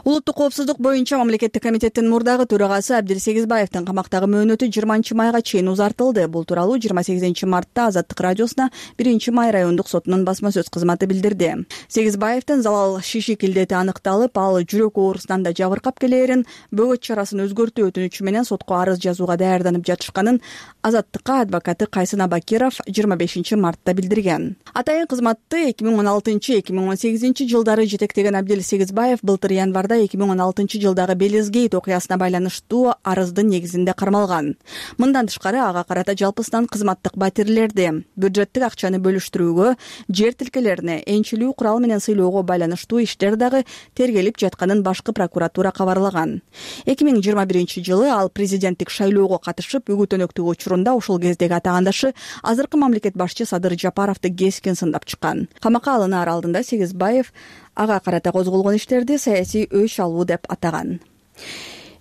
Улуттук коопсуздук боюнча мамлекеттик комитеттин мурдагы төрагасы Абдил Сегизбаевдин камактагы мөөнөтү жыйырманчы майга чейин узартылды. Бул тууралуу жыйырма сегизинчи мартта Азаттык радиосуна биринчи май райондук сотунун басма сөз кызматы билдирди. Сегизбаевдин залал шишик илдети аныкталып, ал жүрөк оорусунан да жабыркап келээрин, бөгөт чарасын өзгөртүү өтүнүчү менен сотко арыз жазууга даярданып жатышканын Азаттыкка адвокаты Кайсын Абакиров жыйырма бешинчи мартта билдирген. Атайын кызматты эки миң он алтынчы — эки миң он сегизинчи жылдары жетектеген Абдил Сегизбаев былтыр январда эки миң он алтынчы жылдагы Белизгейт окуясына байланыштуу арыздын негизинде кармалган. Мындан тышкары ага карата жалпысынан кызматтык батирлерди, бюджеттик акчаны бөлүштүрүүгө, жер тилкелерине, энчилүү курал менен сыйлоого байланыштуу иштер дагы тергелип жатканын башкы прокуратура кабарлаган. эки миң жыйырма биринчи жылы ал президенттик шайлоого катышып, үгүттөнөктүк учурунда ушул кездеги атагандашы азыркы мамлекет башчы Садыр Жапаровду кескин сындап чыккан. Камакка алынаар алдында Сегизбаев ага карата козголгон иштерди саясий өч алуу деп атаган.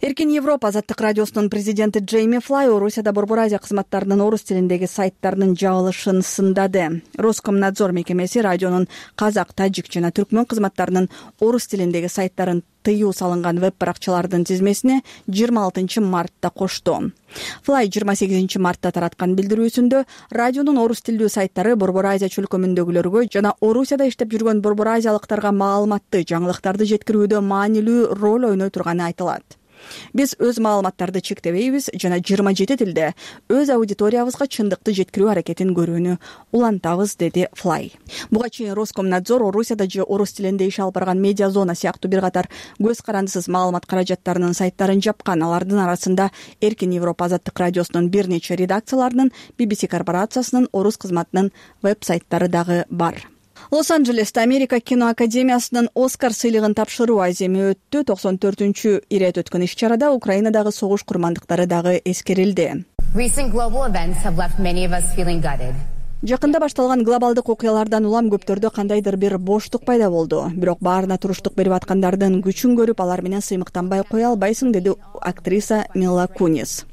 Эркин Европа Азаттык радиосунун президенти Джейми Флай Орусияда Борбор Азия кызматтарынын орус тилиндеги сайттарынын жабылышын сындады. Роскомнадзор мекемеси радионун казак, тажик жана түркмөн кызматтарынын орус тилиндеги сайттарын тыюу салынган веб-баракчалардын тизмесине жыйырма алтынчы мартта кошту. Флай жыйырма сегизинчи мартта тараткан билдирүүсүндө радионун орус тилдүү сайттары Борбор Азия чөлкөмүндөгүлөргө жана Орусияда иштеп жүргөн борбор азиялыктарга маалыматты, жаңылыктарды жеткирүүдө маанилүү роль ойной турганы айтылат. Биз өз маалыматтарды чектебейбиз жана жыйырма жети тилде өз аудиториябызга чындыкты жеткирүү аракетин көрүүнү улантабыз, деди Флай. Буга чейин Роскомнадзор Орусияда же орус тилинде иш алып барган медиа зона сыяктуу бир катар көз карандысыз маалымат каражаттарынын сайттарын жапкан. Алардын арасында Эркин Европа азаттык радиосунун бир нече редакцияларынын, би би си корпорациясынын орус кызматынын веб-сайттары дагы бар. Лос-Анджелесте Америка кино академиясынын Оскар сыйлыгын тапшыруу аземи өттү. токсон төртүнчү ирет өткөн иш-чарада Украинадагы согуш курмандыктары дагы эскерилди. Жакында башталган глобалдык окуялардан улам көптөрдө кандайдыр бир боштук пайда болду. Бирок баарына туруштук берип аткандардын күчүн көрүп, алар менен сыймыктанбай кое албайсың, деди актриса Мила Кунис.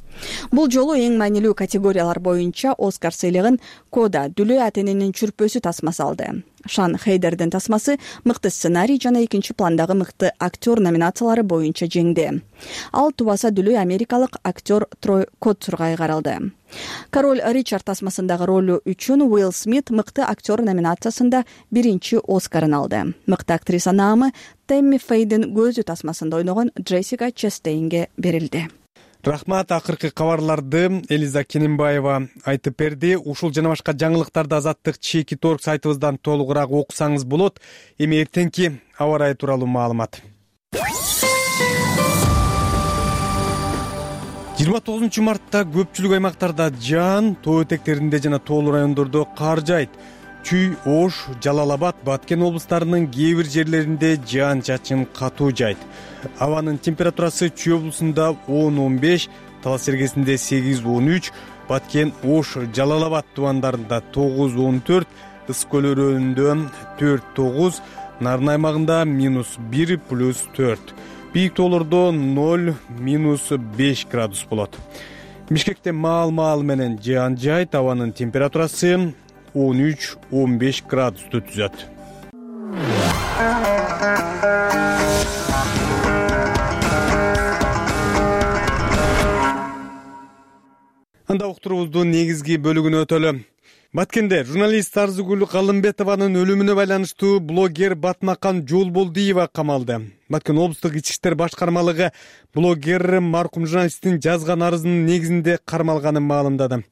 Бул жолу эң маанилүү категориялар боюнча Оскар сыйлыгын Кода Дүлөө Атенинин чүрпөсү тасмасы алды. Шан Хейдердин тасмасы мыкты сценарий жана экинчи пландагы мыкты актер номинациялары боюнча жеңди. Ал тубаса Дүлөө америкалык актер Трой Котцурга айгарылды. Король Ричард тасмасындагы ролу үчүн Уилл Смит мыкты актер номинациясында биринчи Оскарын алды. Мыкты актриса наамы Тэмми Фейдин көзү тасмасында ойногон Джессика Честейнге берилди.
Рахмат, акыркы кабарларды Элиза Кененбаева айтып берди. Ушул жана башка жаңылыктарды Азаттык чекит точка орг сайтыбыздан толугураак окусаңыз болот. Эми эртеңки аба ырайы тууралуу маалымат. жыйырма тогузунчу мартта көпчүлүк аймактарда жаан, тоо этектеринде жана тоолуу райондордо кар жайт. Чүй, Ош, Жалал-Абад, Баткен облустарынын кээ бир жерлеринде жаан-чачын катуу жайт. Абанын температурасы Чүй облусунда он он беш, Талас Сергесинде сегиз он үч, Баткен, Ош, Жалал-Абад тубандарында тогуз он төрт, Ыс көл өрөөнүндө төрт тогуз, Нарын аймагында минус бир плюс төрт. Бийик тоолордо ноль минус беш градус болот. Бишкекте маал-маал менен жаан жайт, абанын температурасы он үч он беш градусту түзөт. Анда уктуруубуздун негизги бөлүгүнө өтөлү. Баткенде журналист Арзыгүл Калымбетованын өлүмүнө байланыштуу блогер Батмакан Жолболдиева камалды. Баткен облустук ички иштер башкармалыгы блогер маркум журналисттин жазган арызынын негизинде кармалганын маалымдады.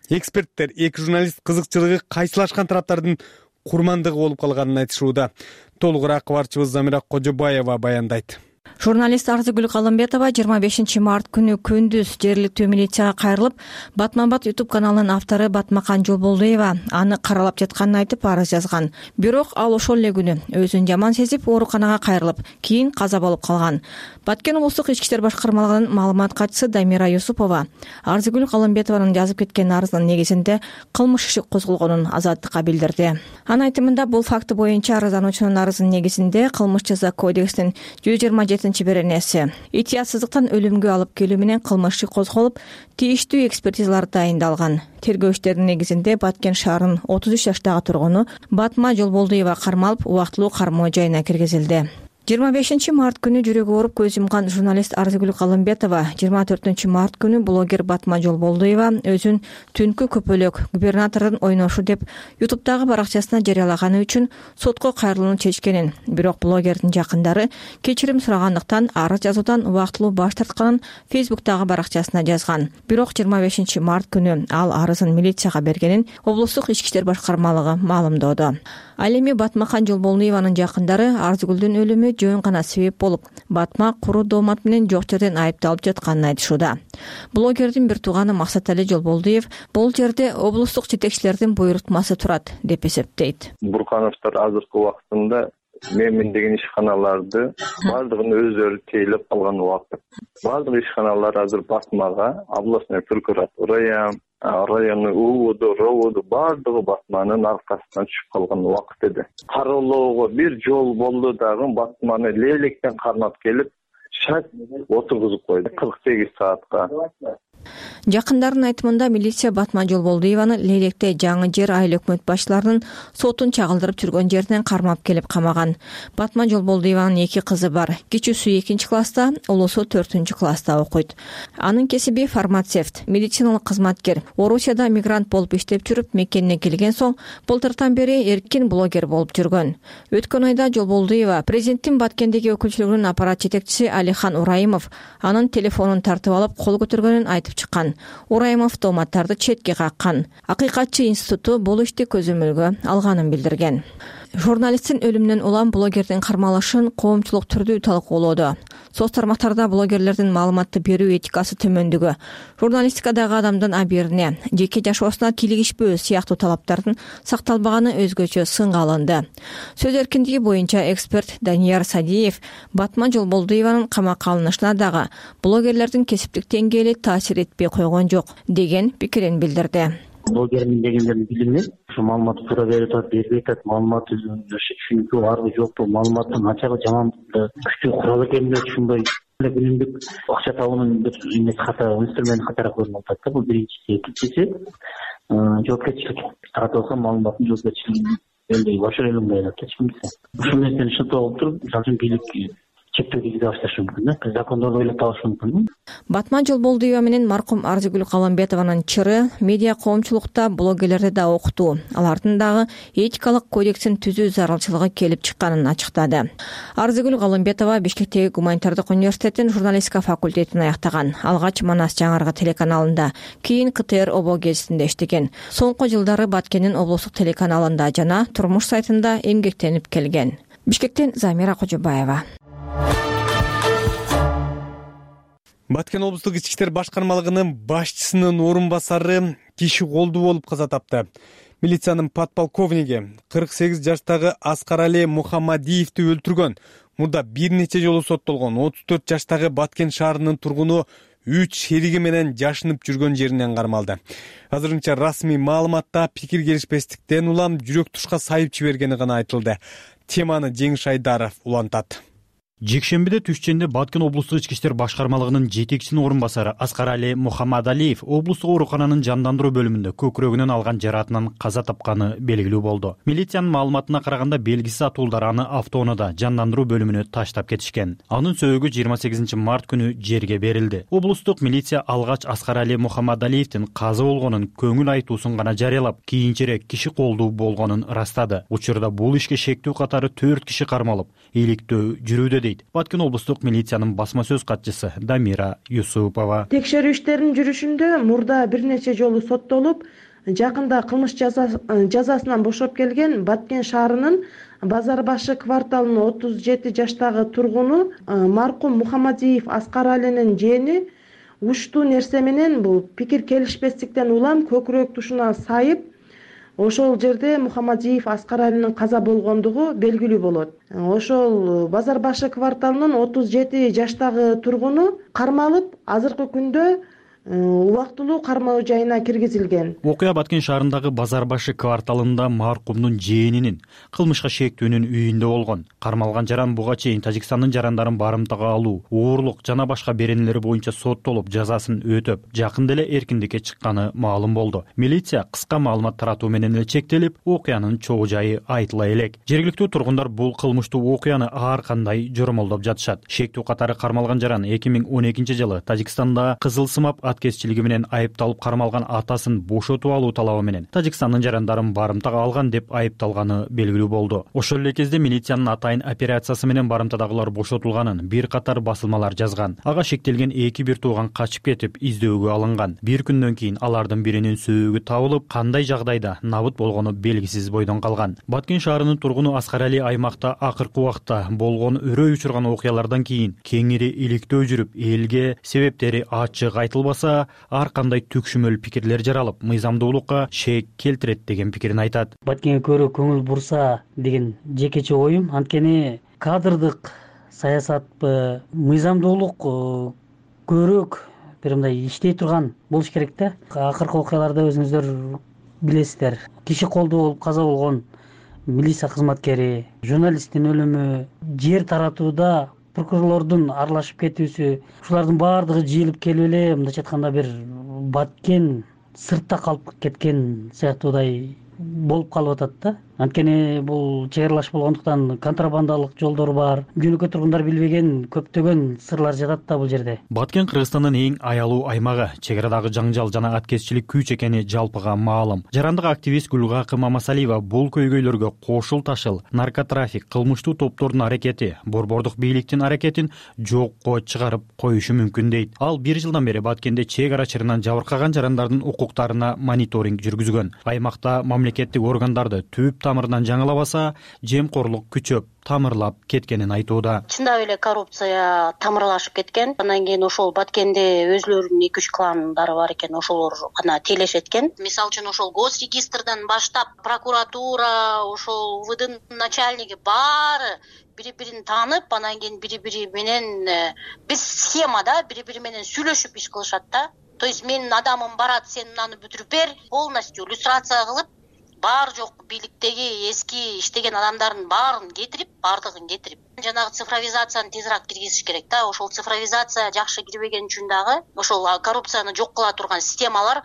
Эксперттер эки журналист кызыкчылыгы кайсылашкан тараптардын курмандыгы болуп калганын айтышууда. Толугураак кабарчыбыз Замира Кожобаева баяндайт.
Журналист Арзыгүл Калымбетова жыйырма бешинчи март күнү күндүз жергиликтүү милицияга кайрылып, Батманбат YouTube каналынын автору Батмакан Жолболдиева аны каралап жатканын айтып арыз жазган. Бирок ал ошол эле күнү өзүн жаман сезип ооруканага кайрылып, кийин каза болуп калган. Баткен облустук ички иштер башкармалыгынын маалымат катчысы Дамира Юсупова Арзыгүл Калымбетованын жазып кеткен арызынын негизинде кылмыш иши козголгонун Азаттыкка билдирди. Анын айтымында бул факты боюнча арыздануучунун арызынын негизинде кылмыш жаза кодексинин жүз жыйырма жетинчи беренеси этиятсыздыктан өлүмгө алып келүү менен кылмыш иши козголуп, тийиштүү экспертизалар дайындалган. Тергөө иштеринин негизинде Баткен шаарынын отуз үч жаштагы тургуну Батма Жолболдиева кармалып, убактылуу кармоо жайына киргизилди. жыйырма бешинчи март күнү жүрөгү ооруп көз жумган журналист Арзыгүл Калымбетова жыйырма төртүнчү март күнү блогер Батма Жолболдиева өзүн түнкү көпөлөк губернатордун ойношу деп ютубтагы баракчасына жарыялаганы үчүн сотко кайрылууну чечкенин, бирок блогердин жакындары кечирим сурагандыктан арыз жазуудан убактылуу баш тартканын Фейсбуктагы баракчасына жазган. Бирок жыйырма бешинчи март күнү ал арызын милицияга бергенин облустук ички иштер башкармалыгы маалымдоодо. Ал эми Батмакан Жолболдиеванын жакындары Арзыгүлдүн өлүмү жөн гана себеп болуп, Батма куру доомат менен жок жерден айыпталып жатканын айтышууда. Блогердин бир тууганы Максатали Жолболдиев бул жерде облустук жетекчилердин буйрутмасы турат деп эсептейт.
Буркановдор азыркы убактында менмин деген ишканаларды баардыгын өздөрү тейлеп калган убакыт. Баардык ишканалар азыр Батмага, областной прокуратурага, району УУДу, РОУДу баардыгы Батманын аркасынан түшүп калган убакыт эди. Кароолоого бир жол болду дагы Батманы лейлектен кармап келип, шат отургузуп койду кырк сегиз саатка.
Жакындардын айтымында милиция Батман Жолболдуеваны Лейлекте жаңы жер айыл өкмөт башчыларынын сотун чагылдырып жүргөн жеринен кармап келип камаган. Батман Жолболдуеванын эки кызы бар. Кичүүсү экинчи класста, улуусу төртүнчү класста окуйт. Анын кесиби фармацевт, медициналык кызматкер. Орусияда мигрант болуп иштеп жүрүп, мекенине келген соң былтыртан бери эркин блогер болуп жүргөн. Өткөн айда Жолболдуева президенттин Баткендеги өкүлчүлүгүнүн аппарат жетекчиси Алихан Урайымов анын телефонун тартып алып кол көтөргөнүн айтып чыккан. Урайымов томаттарды четке каккан. Акыйкатчы институту бул ишти көзөмөлгө алганын билдирген. Журналисттин өлүмүнөн улам блогердин кармалышын коомчулук түрдүү талкуулоодо. Соц тармактарда блогерлердин маалыматты берүү этикасы төмөндүгү, журналистикадагы адамдын абийирине, жеке жашоосуна кийлигишпөө сыяктуу талаптардын сакталбаганы өзгөчө сынга алынды. Сөз эркиндиги боюнча эксперт Данияр Садиев Батман Жолболдуеванын камакка алынышына дагы блогерлердин кесиптик деңгээли таасир этпей койгон жок деген пикирин билдирди.
Блогермин дегендердин билими ушу маалыматты туура берип атат, бербей атат, маалыматты түшүнүктүү барбы жокпу, маалыматтын ачыгы жаман күчтүү курал экенин түшүнбөй күнүмдүк акча табуунун бир эмеси катары, инструмент катары көрүнүп атат да. Бул биринчиси. Экинчиси жоопкерчилик таратып алган маалыматтын жоопкерчилигин элдей башар элмей атат эч кимсе. Ушул нерсени шылтоо кылып туруп, мисалы үчүн бийлик чектөө киргизе башташы мүмкүн да. Закондорду ойлоп табышы мүмкүн.
Батман Жолболдуева менен маркум Арзыгүл Калымбетованын чыры медиа коомчулукта блогерлерди да окутуу, алардын дагы этикалык кодексин түзүү зарылчылыгы келип чыкканын ачыктады. Арзыгүл Калымбетова Бишкектеги Гуманитардык университеттин журналистика факультетин аяктаган. Алгач Манас Жаңарга телеканалында, кийин К Т Р Обо гезитинде иштеген. Соңку жылдары Баткендин облустук телеканалында жана Турмуш сайтында эмгектенип келген. Бишкектен Замира Кожобаева.
Баткен облустук ички иштер башкармалыгынын башчысынын орун басары киши колдуу болуп каза тапты. Милициянын подполковниги кырк сегиз жаштагы Аскарали Мухаммадиевди өлтүргөн. Мурда бир нече жолу соттолгон отуз төрт жаштагы Баткен шаарынын тургуну үч шериги менен жашынып жүргөн жеринен кармалды. Азырынча расмий маалыматта пикир келишпестиктен улам жүрөк тушка сайып жибергени гана айтылды. Теманы Жеңиш Айдаров улантат.
Жекшембиде түшченде Баткен облустук ички иштер башкармалыгынын жетекчисинин орун басары Аскарали Мухаммадалиев облустук оорукананын жандандыруу бөлүмүндө көкүрөгүнөн алган жараатынан каза тапканы белгилүү болду. Милициянын маалыматына караганда белгисиз атуулдар аны автоунаада жандандыруу бөлүмүнө таштап кетишкен. Анын сөөгү жыйырма сегизинчи март күнү жерге берилди. Облустук милиция алгач Аскарали Мухаммадалиевдин каза болгонун көңүл айтуусун гана жарыялап, кийинчерээк киши колдуу болгонун ырастады. Учурда бул ишке шектүү катары төрт киши кармалып, иликтөө жүрүүдө дейт Баткен облустук милициянын басма сөз катчысы Дамира Юсупова.
Текшерүү иштеринин жүрүшүндө мурда бир нече жолу соттолуп, жакында кылмыш жазасынан бошоп келген Баткен шаарынын Базар башы кварталынын отуз жети жаштагы тургуну маркум Мухаммадиев Аскаралинин жээни уштуу нерсе менен бул пикир келишпестиктен улам көкүрөк тушуна сайып, ошол жерде Мухаммадиев Аскаралинин каза болгондугу белгилүү болот. Ошол Базар башы кварталынын отуз жети жаштагы тургуну кармалып, азыркы күндө убактылуу кармоо жайына киргизилген.
Окуя Баткен шаарындагы Базар башы кварталында маркумдун жээнинин кылмышка шектүүнүн үйүндө болгон. Кармалган жаран буга чейин Тажикстандын жарандарын барымтага алуу, оорлук жана башка беренелери боюнча соттолуп, жазасын өтөп, жакында эле эркиндикке чыкканы маалым болду. Милиция кыска маалымат таратуу менен эле чектелип, окуянын чогуу жайы айтыла элек. Жергиликтүү тургундар бул кылмыштуу окуяны ар кандай жормолдоп жатышат. Шектүү катары кармалган жаран эки миң он экинчи жылы Тажикстанда кызылсымап аткезчилиги менен айыпталып кармалган атасын бошотуп алуу талабы менен Тажикстандын жарандарын барымтага алган деп айыпталганы белгилүү болду. Ошол эле кезде милициянын атайын операциясы менен барымтадагылар бошотулганын бир катар басылмалар жазган. Ага шектелген эки бир тууган качып кетип издөөгө алынган. Бир күндөн кийин алардын биринин сөөгү табылып, кандай жагдайда набыт болгону белгисиз бойдон калган. Баткен шаарынын тургуну Аскарали аймакта акыркы убакта болгон өрөй учурган окуялардан кийин кеңири иликтөө жүрүп, элге себептери ачык айтылбаса, ар кандай түкшүмөл пикирлер жаралып, мыйзамдуулукка шек келтирет деген пикирин айтат.
Баткенге көрө көңүл бурса деген жекече оюм, анткени кадрдык саясатпы, мыйзамдуулук көбүрөөк бир мындай иштей турган болуш керек да. Акыркы окуяларда өзүңүздөр билесиздер, киши колдуу болуп каза болгон милиция кызматкери, журналисттин өлүмү, жер таратууда прокурорлордун аралашып кетүүсү, ушулардын баардыгы жыйылып келип эле мындайча айтканда бир Баткен сыртта калып кеткен сыяктуудай болуп калып атат да. Анткени бул чек аралаш болгондуктан контрабандалык жолдор бар. Жөнөкөй тургундар билбеген көптөгөн сырлар жатат да бул жерде.
Баткен Кыргызстандын эң аялуу аймагы, чек арадагы жаңжал жана аткезчилик күч экени жалпыга маалым. Жарандык активист Гүлгакы Мамасалиева бул көйгөйлөргө кошул ташыл, наркотрафик, кылмыштуу топтордун аракети, борбордук бийликтин аракетин жокко чыгарып коюшу мүмкүн дейт. Ал бир жылдан бери Баткенде чек ара чырынан жабыркаган жарандардын укуктарына мониторинг жүргүзгөн. Аймакта мамлекеттик органдарды түп тамырынан жаңылабаса, жемкорлук күчөп, тамырлап кеткенин айтууда.
Чындап эле коррупция тамырлашып кеткен. Андан кийин ошол Баткенде өзлөрүнүн эки үч кландары бар экен, ошолор гана тейлешет экен. Мисалы үчүн ошол госрегистрден баштап прокуратура, ошол УВДнын начальниги баары бири-бирин таанып, анан кийин бири-бири менен биз схемада бири-бири менен сүйлөшүп иш кылышат да. То есть менин адамым барат, сен аны бүтүрүп бер, полностью иллюстрация кылып, бар жок бийликтеги эски иштеген адамдардын баарын кетирип, бардыгын кетирип, жанагы цифровизацияны тезирээк киргизиш керек да. Ошол цифровизация жакшы кирбеген үчүн дагы ошол коррупцияны жок кыла турган системалар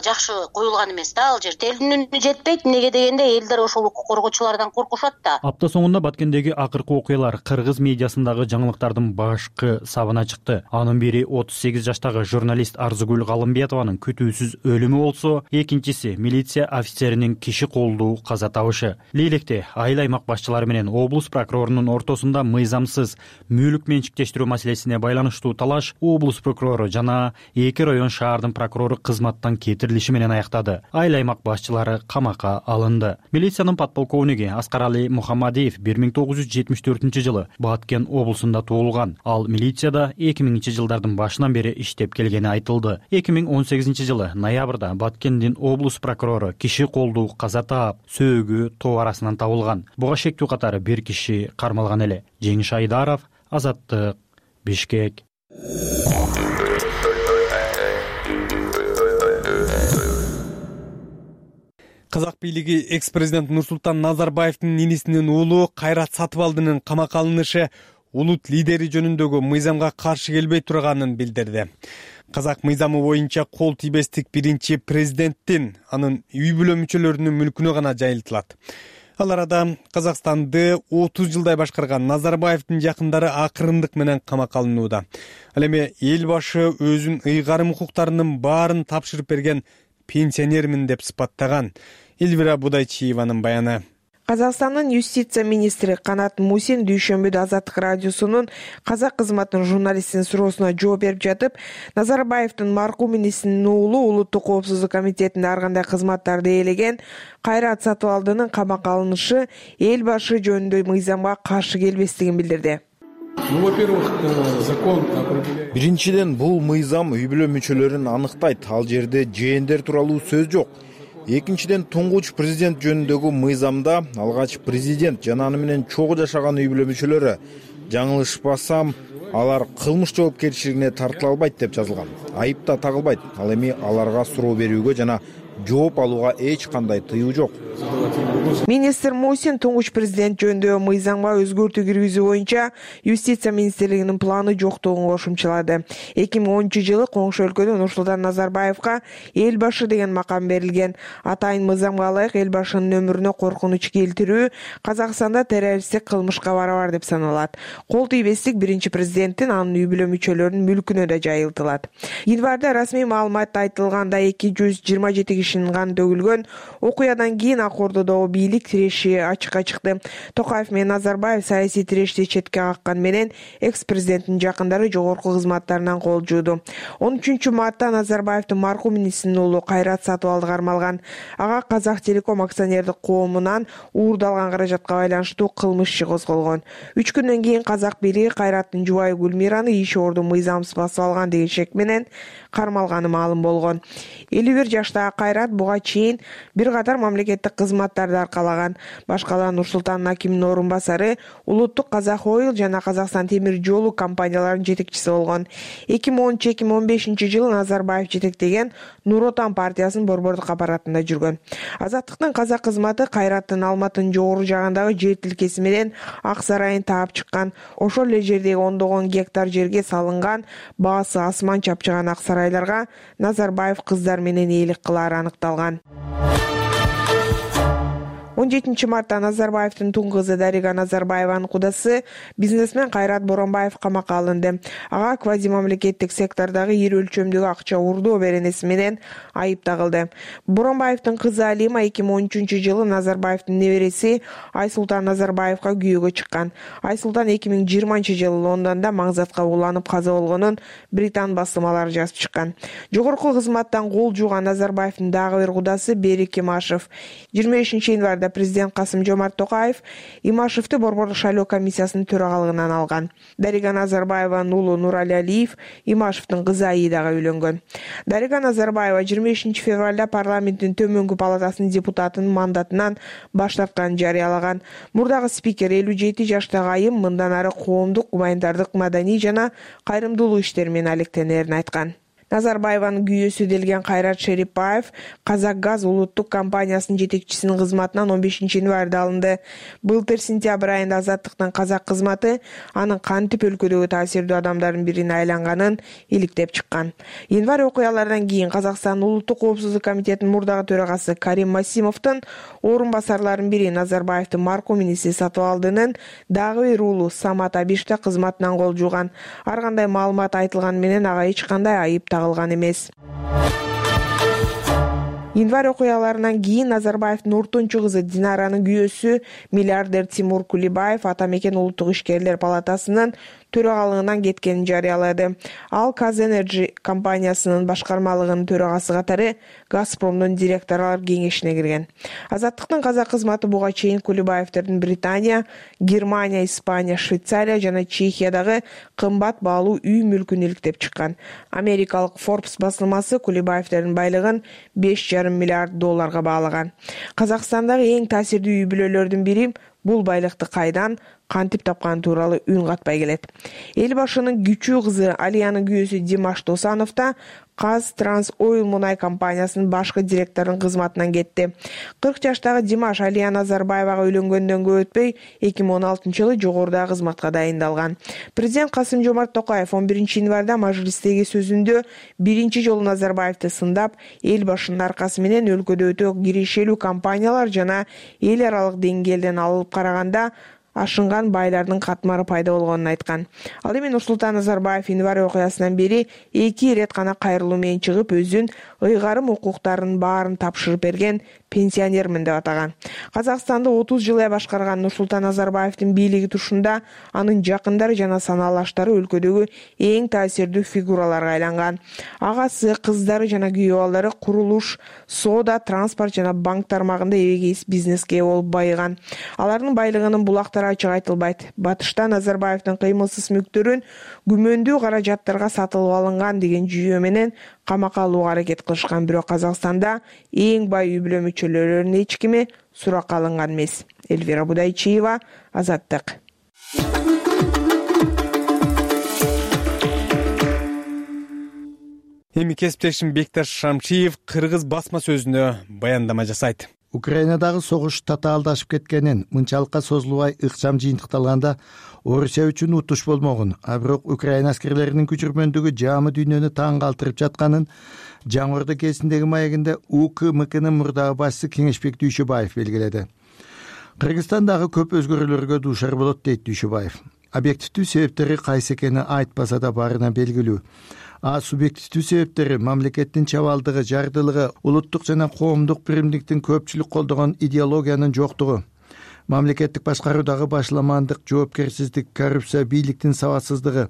жакшы коюлган эмес да ал жерде. Элдин үнү жетпейт, эмнеге дегенде элдер ошол укук коргоочулардан коркушат да.
Апта соңунда Баткендеги акыркы окуялар кыргыз медиасындагы жаңылыктардын башкы сабына чыкты. Анын бири отуз сегиз жаштагы журналист Арзыгүл Галымбетованын күтүүсүз өлүмү болсо, экинчиси милиция офицеринин киши колдуу каза табышы. Лейлекте айыл аймак башчылары менен облус прокурорунун ортосунда мыйзамсыз мүлк менчиктештирүү маселесине байланыштуу талаш облус прокурору жана эки район шаардын прокурору кызматтан кетирилиши менен аяктады. Айыл аймак башчылары камакка алынды. Милициянын подполковниги Аскарали Мухаммадиев бир миң тогуз жүз жетимиш төртүнчү жылы Баткен облусунда туулган. Ал милицияда эки миңинчи жылдардын башынан бери иштеп келгени айтылды. эки миң он сегизинчи жылы ноябрда Баткендин облус прокурору киши колдуу каза таап, сөөгү тоо арасынан табылган. Буга шектүү катары бир киши кармалган эле. Жеңиш Айдаров, Азаттык, Бишкек.
Казак бийлиги экс-президент Нурсултан Назарбаевдин инисинин уулу Кайрат Сатыбалдынын камакка алынышы улут лидери жөнүндөгү мыйзамга каршы келбей турганын билдирди. Казак мыйзамы боюнча кол тийбестик биринчи президенттин, анын үй бүлө мүчөлөрүнүн мүлкүнө гана жайылтылат. Ал арада Казакстанды отуз жылдай башкарган Назарбаевдин жакындары акырындык менен камакка алынууда. Ал эми эл башы өзүнүн ыйгарым укуктарынын баарын тапшырып берген пенсионермин деп сыпаттаган. Элвира Будайчиеванын баяны.
Казакстандын юстиция министри Канат Мусин дүйшөмбүдө Азаттык радиосунун казак кызматынын журналистинин суроосуна жооп берип жатып, Назарбаевдин маркум инисинин уулу улуттук коопсуздук комитетинде ар кандай кызматтарды ээлеген Кайрат Сатыбалдынын камакка алынышы эл башы жөнүндө мыйзамга каршы келбестигин билдирди.
Биринчиден, бул мыйзам үй бүлө мүчөлөрүн аныктайт. Ал жерде жээндер тууралуу сөз жок. Экинчиден, туңгуч президент жөнүндөгү мыйзамда алгач президент жана аны менен чогуу жашаган үй бүлө мүчөлөрү жаңылышпасам, алар кылмыш жоопкерчилигине тартыла албайт деп жазылган. Айып да тагылбайт. Ал эми аларга суроо берүүгө жана жооп алууга эч кандай тыюу жок.
Министр Мусин туңгуч президент жөнүндө мыйзамга өзгөртүү киргизүү боюнча юстиция министрлигинин планы жоктугун кошумчалады. эки миң онунчу жылы коңшу өлкөдө Нурсултан Назарбаевга эл башы деген макам берилген. Атайын мыйзамга ылайык эл башынын өмүрүнө коркунуч келтирүү Казакстанда террористтик кылмышка барабар деп саналат. Кол тийбестик биринчи президенттин анын үй бүлө мүчөлөрүнүн мүлкүнө да жайылтылат. Январда расмий маалыматта айтылганда эки жүз жыйырма жети кишинин каны төгүлгөн. Окуядан кийин ак ордодогу бийлик тиреши ачыкка чыкты. Токаев менен Назарбаев саясий тирешти четке каккан менен экс-президенттин жакындары жогорку кызматтарынан кол жууду. он үчүнчү мартта Назарбаевдин маркум инисинин уулу Кайрат Сатыбалды кармалган. Ага Казак Телеком акционердик коомунан уурдалган каражатка байланыштуу кылмыш иши козголгон. үч күндөн кийин Казак бийлиги Кайраттын жубайы Гүлмираны иш орду мыйзамсыз басып алган деген шек менен кармалганы маалым болгон. элүү бир жаштагы Кайрат буга чейин бир катар мамлекеттик кызматтарды аркалаган. Башкалар Нур-Султан акиминин орун басары, Улуттук Казак Ойл жана Казакстан темир жолу компанияларынын жетекчиси болгон. эки миң он үч эки миң он бешинчи жылы Назарбаев жетектеген Нур Отан партиясынын борбордук аппаратында жүргөн. Азаттыктын казак кызматы Кайраттын Алматынын жогору жагындагы жер тилкеси менен Ак Сарайын таап чыккан. Ошол эле жердеги ондогон гектар жерге салынган баасы асман чапчыган ак сарайларга Назарбаев кыздар менен ээлик кылары аныкталган. он жетинчи мартта Назарбаевдин тун кызы Дарига Назарбаеванын кудасы бизнесмен Кайрат Боронбаев камакка алынды. Ага квазимамлекеттик сектордогу ири өлчөмдөгү акча уурдоо беренеси менен айып тагылды. Боронбаевдин кызы Алима эки миң он үчүнчү жылы Назарбаевдин небереси Айсултан Назарбаевга күйөөгө чыккан. Айсултан эки миң жыйырманчы жылы Лондондо маңзатка ууланып каза болгонун Британ басылмалары жазып чыккан. Жогорку кызматтан кол жууган Назарбаевдин дагы бир кудасы Берик Имашев жыйырма бешинчи январда президент Касым-Жомарт Токаев Имашевди борбордук шайлоо комиссиясынын төрагалыгынан алган. Дарига Назарбаеванын уулу Нурали Алиев Имашевдин кызы Аидага үйлөнгөн. Дарига Назарбаева жыйырма бешинчи февралда парламенттин төмөнкү палатасынын депутатынын мандатынан баш тартканын жарыялаган. Мурдагы спикер элүү жети жаштагы айым мындан ары коомдук, гуманитардык, маданий жана кайрымдуулук иштери менен алектенерин айткан. Назарбаеванын күйөөсү делген Кайрат Шерипбаев Казакгаз улуттук компаниясынын жетекчисинин кызматынан он бешинчи январда алынды. Былтыр сентябрь айында Азаттыктын казак кызматы анын кантип өлкөдөгү таасирдүү адамдардын бирине айланганын иликтеп чыккан. Январь окуяларынан кийин Казакстандын улуттук коопсуздук комитетинин мурдагы төрагасы Карим Масимовдун орун басарларынын бири Назарбаевдин маркум иниси Сатыбалдынын дагы бир уулу Самат Абиште кызматынан кол жууган. Ар кандай маалымат айтылганы менен ага эч кандай айып тагылган эмес. Январь окуяларынан кийин Назарбаевдин ортончу кызы Динаранын күйөөсү миллиардер Тимур Кулибаев ата мекен улуттук ишкерлер палатасынын төрагалыгынан кеткенин жарыялады. Ал Казэнерджи компаниясынын башкармалыгынын төрагасы катары Газпромдун директорлор кеңешине кирген. Азаттыктын казак кызматы буга чейин Кулибаевдердин Британия, Германия, Испания, Швейцария жана Чехиядагы кымбат баалуу үй мүлкүн иликтеп чыккан. Америкалык Forbes басылмасы Кулибаевдердин байлыгын беш жарым миллиард долларга баалаган. Казакстандагы эң таасирдүү үй бүлөлөрдүн бири бул байлыкты кайдан, кантип тапканы тууралуу үн катпай келет. Эл башынын күчүү кызы Алиянын күйөөсү Димаш Досанов да Каз Транс Ойл мунай компаниясынын башкы директорунун кызматынан кетти. кырк жаштагы Димаш Алия Назарбаевага үйлөнгөндөн көп өтпөй эки миң он алтынчы жылы жогорудагы кызматка дайындалган. Президент Касым-Жомарт Токаев он биринчи январда мажлистеги сөзүндө биринчи жолу Назарбаевди сындап, эл башынын аркасы менен өлкөдө өтө кирешелүү компаниялар жана эл аралык деңгээлден алып караганда ашынган байлардын катмары пайда болгонун айткан. Ал эми Нурсултан Назарбаев январь окуясынан бери эки ирет гана кайрылуу менен чыгып, өзүн ыйгарым укуктарынын баарын тапшырып берген пенсионермин деп атаган. Казакстанды отуз жыл башкарган Нурсултан Назарбаевдин бийлиги тушунда анын жакындары жана санаалаштары өлкөдөгү эң таасирдүү фигураларга айланган. Агасы, кыздары жана күйөө балдары курулуш, соода, транспорт жана банк тармагында эбегейс бизнеске болуп байыган. Алардын байлыгынын булактары ачык айтылбайт. Батышта Назарбаевдин кыймылсыз мүктөрүн күмөндүү каражаттарга сатылып алынган деген жүйө менен камакка алууга аракет кылышкан, бирок Казакстанда эң бай үй бүлө мүчөлөрүнүн эч кими суракка алынган эмес. Эльвира Будайчиева, Азаттык.
Эми кесиптешим Бекташ Шамшиев кыргыз басма сөзүнө баяндама жасайт.
Украинадагы согуш татаалдашып кеткенин, мынчалыкка созулбай ыкчам жыйынтыкталганда Орусия үчүн утуш болмогун, а бирок Украина аскерлеринин күчүрмөндүгү жаамы дүйнөнү таң калтырып жатканын Жаңы Ордо кезиндеги маегинде УКМКнын мурдагы башчысы Кеңешбек Дүйшөбаев белгиледи. Кыргызстан дагы көп өзгөрүүлөргө дуушар болот, дейт Дүйшөбаев. Объективдүү себептери кайсы экени айтпаса да барына белгилүү. А субъективдүү себептери мамлекеттин чабалдыгы, жардылыгы, улуттук жана коомдук биримдиктин көпчүлүк колдогон идеологиянын жоктугу, мамлекеттик башкаруудагы башламандык, жоопкерсиздик, коррупция, бийликтин сабатсыздыгы,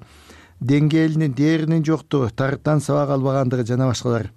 деңгээлинин, дээринин жоктугу, тарыптан сабак албагандыгы жана башкалар.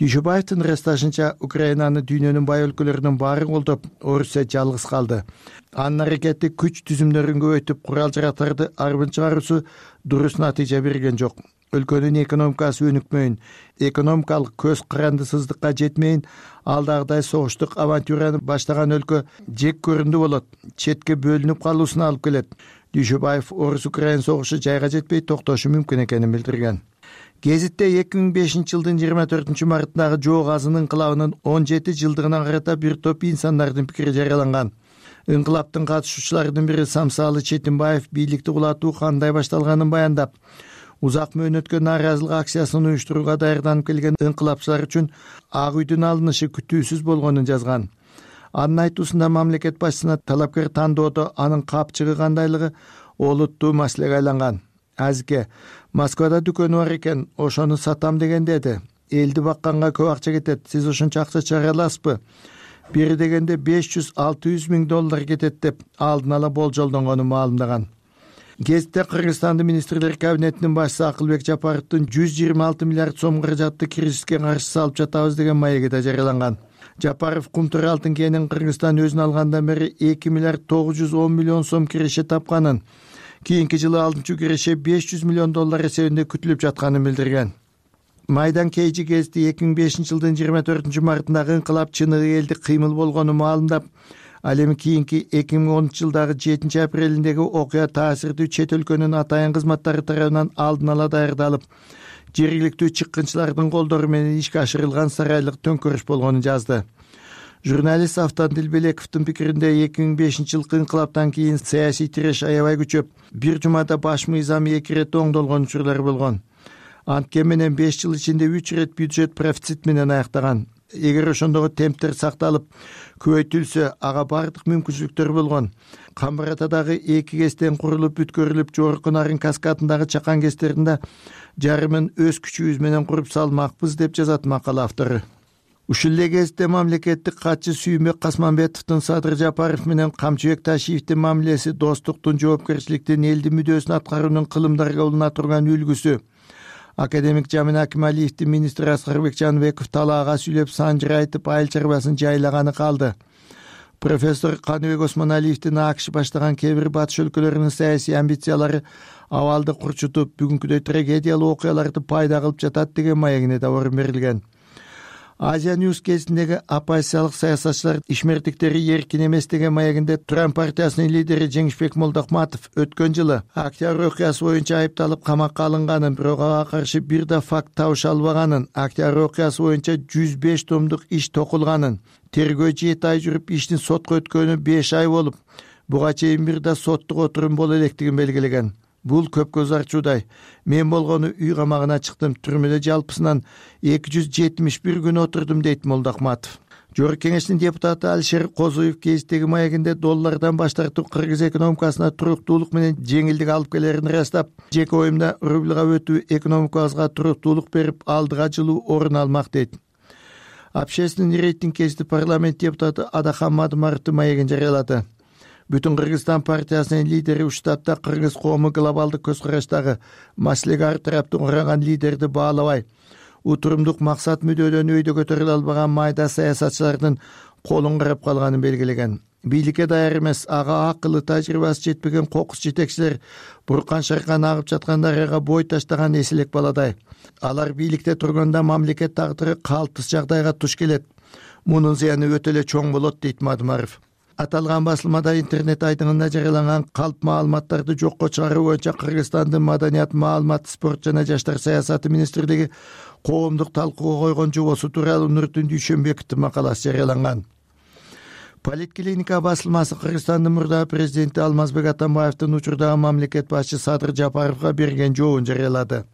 Дүйшөбаевдин ырасташынча, Украинаны дүйнөнүн бай өлкөлөрүнүн баары колдоп, Орусия жалгыз калды. Анын аракети күч түзүмдөрүн көбөйтүп, курал-жарактарды арбын чыгаруусу дурус натыйжа берген жок. өлкөнүн экономикасы өнүкмөйүн, экономикалык көз карандысыздыкка жетмейин, алдагыдай согуштук авантюраны баштаган өлкө жек көрүндү болот, четке бөлүнүп калуусуна алып келет. Дүйшөбаев Орус-Украин согушу жайга жетпей токтошу мүмкүн экенин билдирген. Гезитте эки миң бешинчи жылдын жыйырма төртүнчү мартындагы жоо газын инкылабынын он жети жылдыгына карата бир топ инсандардын пикири жарыяланган. Инкылаптын катышуучуларынын бири Самсалы Четимбаев бийликти кулатуу кандай башталганын баяндап, узак мөөнөткө нааразылык акциясын уюштурууга даярданып келген инкылапчылар үчүн Ак үйдүн алынышы күтүүсүз болгонун жазган. Анын айтуусунда мамлекет башчысына талапкер тандоодо анын капчыгы кандайлыгы олуттуу маселеге айланган. Азике, Москвада дүкөнү бар экен, ошону сатам деген деди. Элди бакканга көп акча кетет, сиз ушунча акча чыгара аласызбы? Бери дегенде беш жүз алты жүз миң доллар кетет деп алдын ала болжолдонгонун маалымдаган. Гезитте Кыргызстандын министрлер кабинетинин башчысы Акылбек Жапаровдун жүз жыйырма алты миллиард сом каражатты кризиске каршы салып жатабыз деген маеги да жарыяланган. Жапаров Кумтур алтын кенин Кыргызстан өзүн алгандан бери эки миллиард тогуз жүз он миллион сом киреше тапканын, кийинки жылы алтынчы киреше беш жүз миллион доллар эсебинде күтүлүп жатканын билдирген. Майдан Кейжи гезити эки миң бешинчи жылдын жыйырма төртүнчү мартындагы инкылап чыныгы элдик кыймыл болгонун маалымдап, ал эми кийинки эки миң онунчу жылдагы жетинчи апрелиндеги окуя таасирдүү чет өлкөнүн атайын кызматтары тарабынан алдын ала даярдалып, жергиликтүү чыккынчылардын колдору менен ишке ашырылган сарайлык төңкөрүш болгонун жазды. Журналист Автан Дилбелековдун пикиринде эки миң бешинчи жылкы инкылаптан кийин саясий тиреш аябай күчөп, бир жумада баш мыйзам эки ирет оңдолгон учурлар болгон. Анткени менен беш жыл ичинде үч ирет бюджет профицит менен аяктаган. Эгер ошондогу темптер сакталып, көбөйтүлсө, ага бардык мүмкүнчүлүктөр болгон. Камбаратадагы эки кестен курулуп бүткөрүлүп, жогорку Нарын каскадындагы чакан кестеринде жарымын өз күчүбүз менен куруп салмакпыз деп жазат макала автору. Ушул эле кезде мамлекеттик катчы Сүйүнбек Касманбетовдун Садыр Жапаров менен Камчыбек Ташиевдин мамилеси достуктун, жоопкерчиликтин, элдин мүдөөсүн аткаруунун кылымдарга улана турган үлгүсү. Академик Жамин Акималиевдин министр Аскарбек Жаныбеков талаага сүйлөп санжыр айтып айыл чарбасын жайлаганы калды. Профессор Каныбек Осмоналиевдин АКШ баштаган кээ бир батыш өлкөлөрүнүн саясий амбициялары абалды курчутуп, бүгүнкүдөй трагедиялуу окуяларды пайда кылып жатат деген маегине да орун берилген. Азия Ньюс кезиндеги оппозициялык саясатчылар ишмердиктери эркин эмес деген маегинде Туран партиясынын лидери Жеңишбек Молдохматов өткөн жылы Октябрь окуясы боюнча айыпталып камакка алынганын, бирок ага каршы бир да факт табыша албаганын, Октябрь окуясы боюнча жүз беш томдук иш токулганын, тергөө жети ай жүрүп иштин сотко өткөнү беш ай болуп, буга чейин бир да соттук отурум боло электигин белгилеген. Бул көп көз ачуудай. Мен болгону үй камагына чыктым, түрмөдө жалпысынан эки жүз жетимиш бир күн отурдум, дейт Молдохматов. Жогорку кеңештин депутаты Алишер Козуев гезиттеги маегинде доллардан баш тартуу кыргыз экономикасына туруктуулук менен жеңилдик алып келерин ырастап, жеке оюмда рубльга өтүү экономикабызга туруктуулук берип, алдыга жылуу орун алмак, дейт. Общественный рейтинг гезити парламент депутаты Адахан Мадымаровдун маегин жарыялады. Бүтүн Кыргызстан партиясынын лидери Уштатта кыргыз коому глобалдык көз караштагы маселеге ар тараптуу караган лидерди баалабай, утурумдук максат мүдөөдөн өйдө көтөрүлө албаган майда саясатчылардын колун карап калганын белгилеген. Бийликке даяр эмес, ага акылы, тажрыйбасы жетпеген кокус жетекчилер буркан шаркан агып жаткан дарыяга бой таштаган эселек баладай. Алар бийликте турганда мамлекет тагдыры калтыс жагдайга туш келет. Мунун зыяны өтө эле чоң болот, дейт Мадымаров. Аталган басылмада интернет айтыңында жарыяланган калп маалыматтарды жокко чыгаруу боюнча Кыргызстандын Маданият, маалымат, спорт жана жаштар саясаты министрлиги коомдук талкууга койгон жобосу тууралуу Нуртун Дүйшөнбековдун макаласы жарыяланган. Политклиника басылмасы Кыргызстандын мурдагы президенти Алмазбек Атамбаевдин учурдагы мамлекет башчы Садыр Жапаровго берген жообун жарыялады.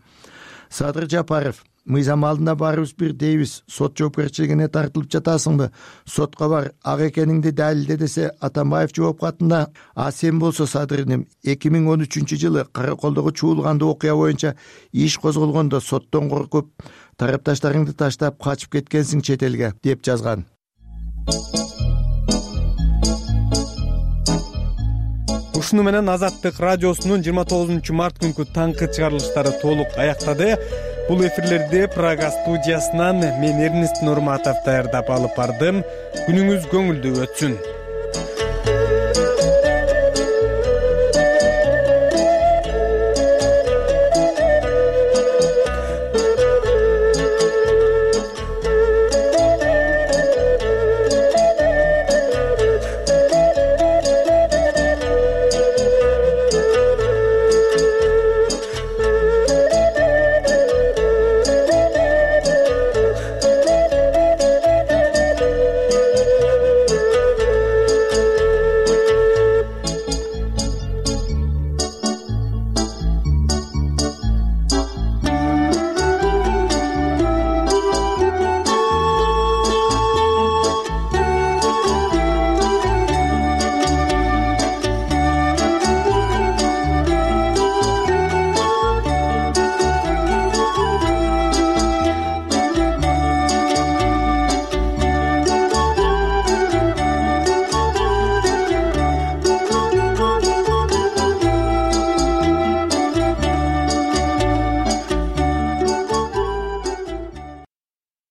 Садыр Жапаров: мыйзам алдында баарыбыз бир дейбиз, сот жоопкерчилигине тартылып жатасыңбы, сотко бар, ак экениңди далилде, десе, Атамбаев жооп катында: а сен болсо, Садыр иним, эки миң он үчүнчү жылы Караколдогу чуулганды окуя боюнча иш козголгондо соттон коркуп, тарапташтарыңды таштап качып кеткенсиң чет элге, деп жазган.
Ушуну менен Азаттык радиосунун жыйырма тогузунчу март күнкү таңкы чыгарылыштары толук аяктады. Бул эфирлерди Прага студиясынан мен Эрнест Нурматов даярдап алып бардым. Күнүңүз көңүлдүү өтсүн.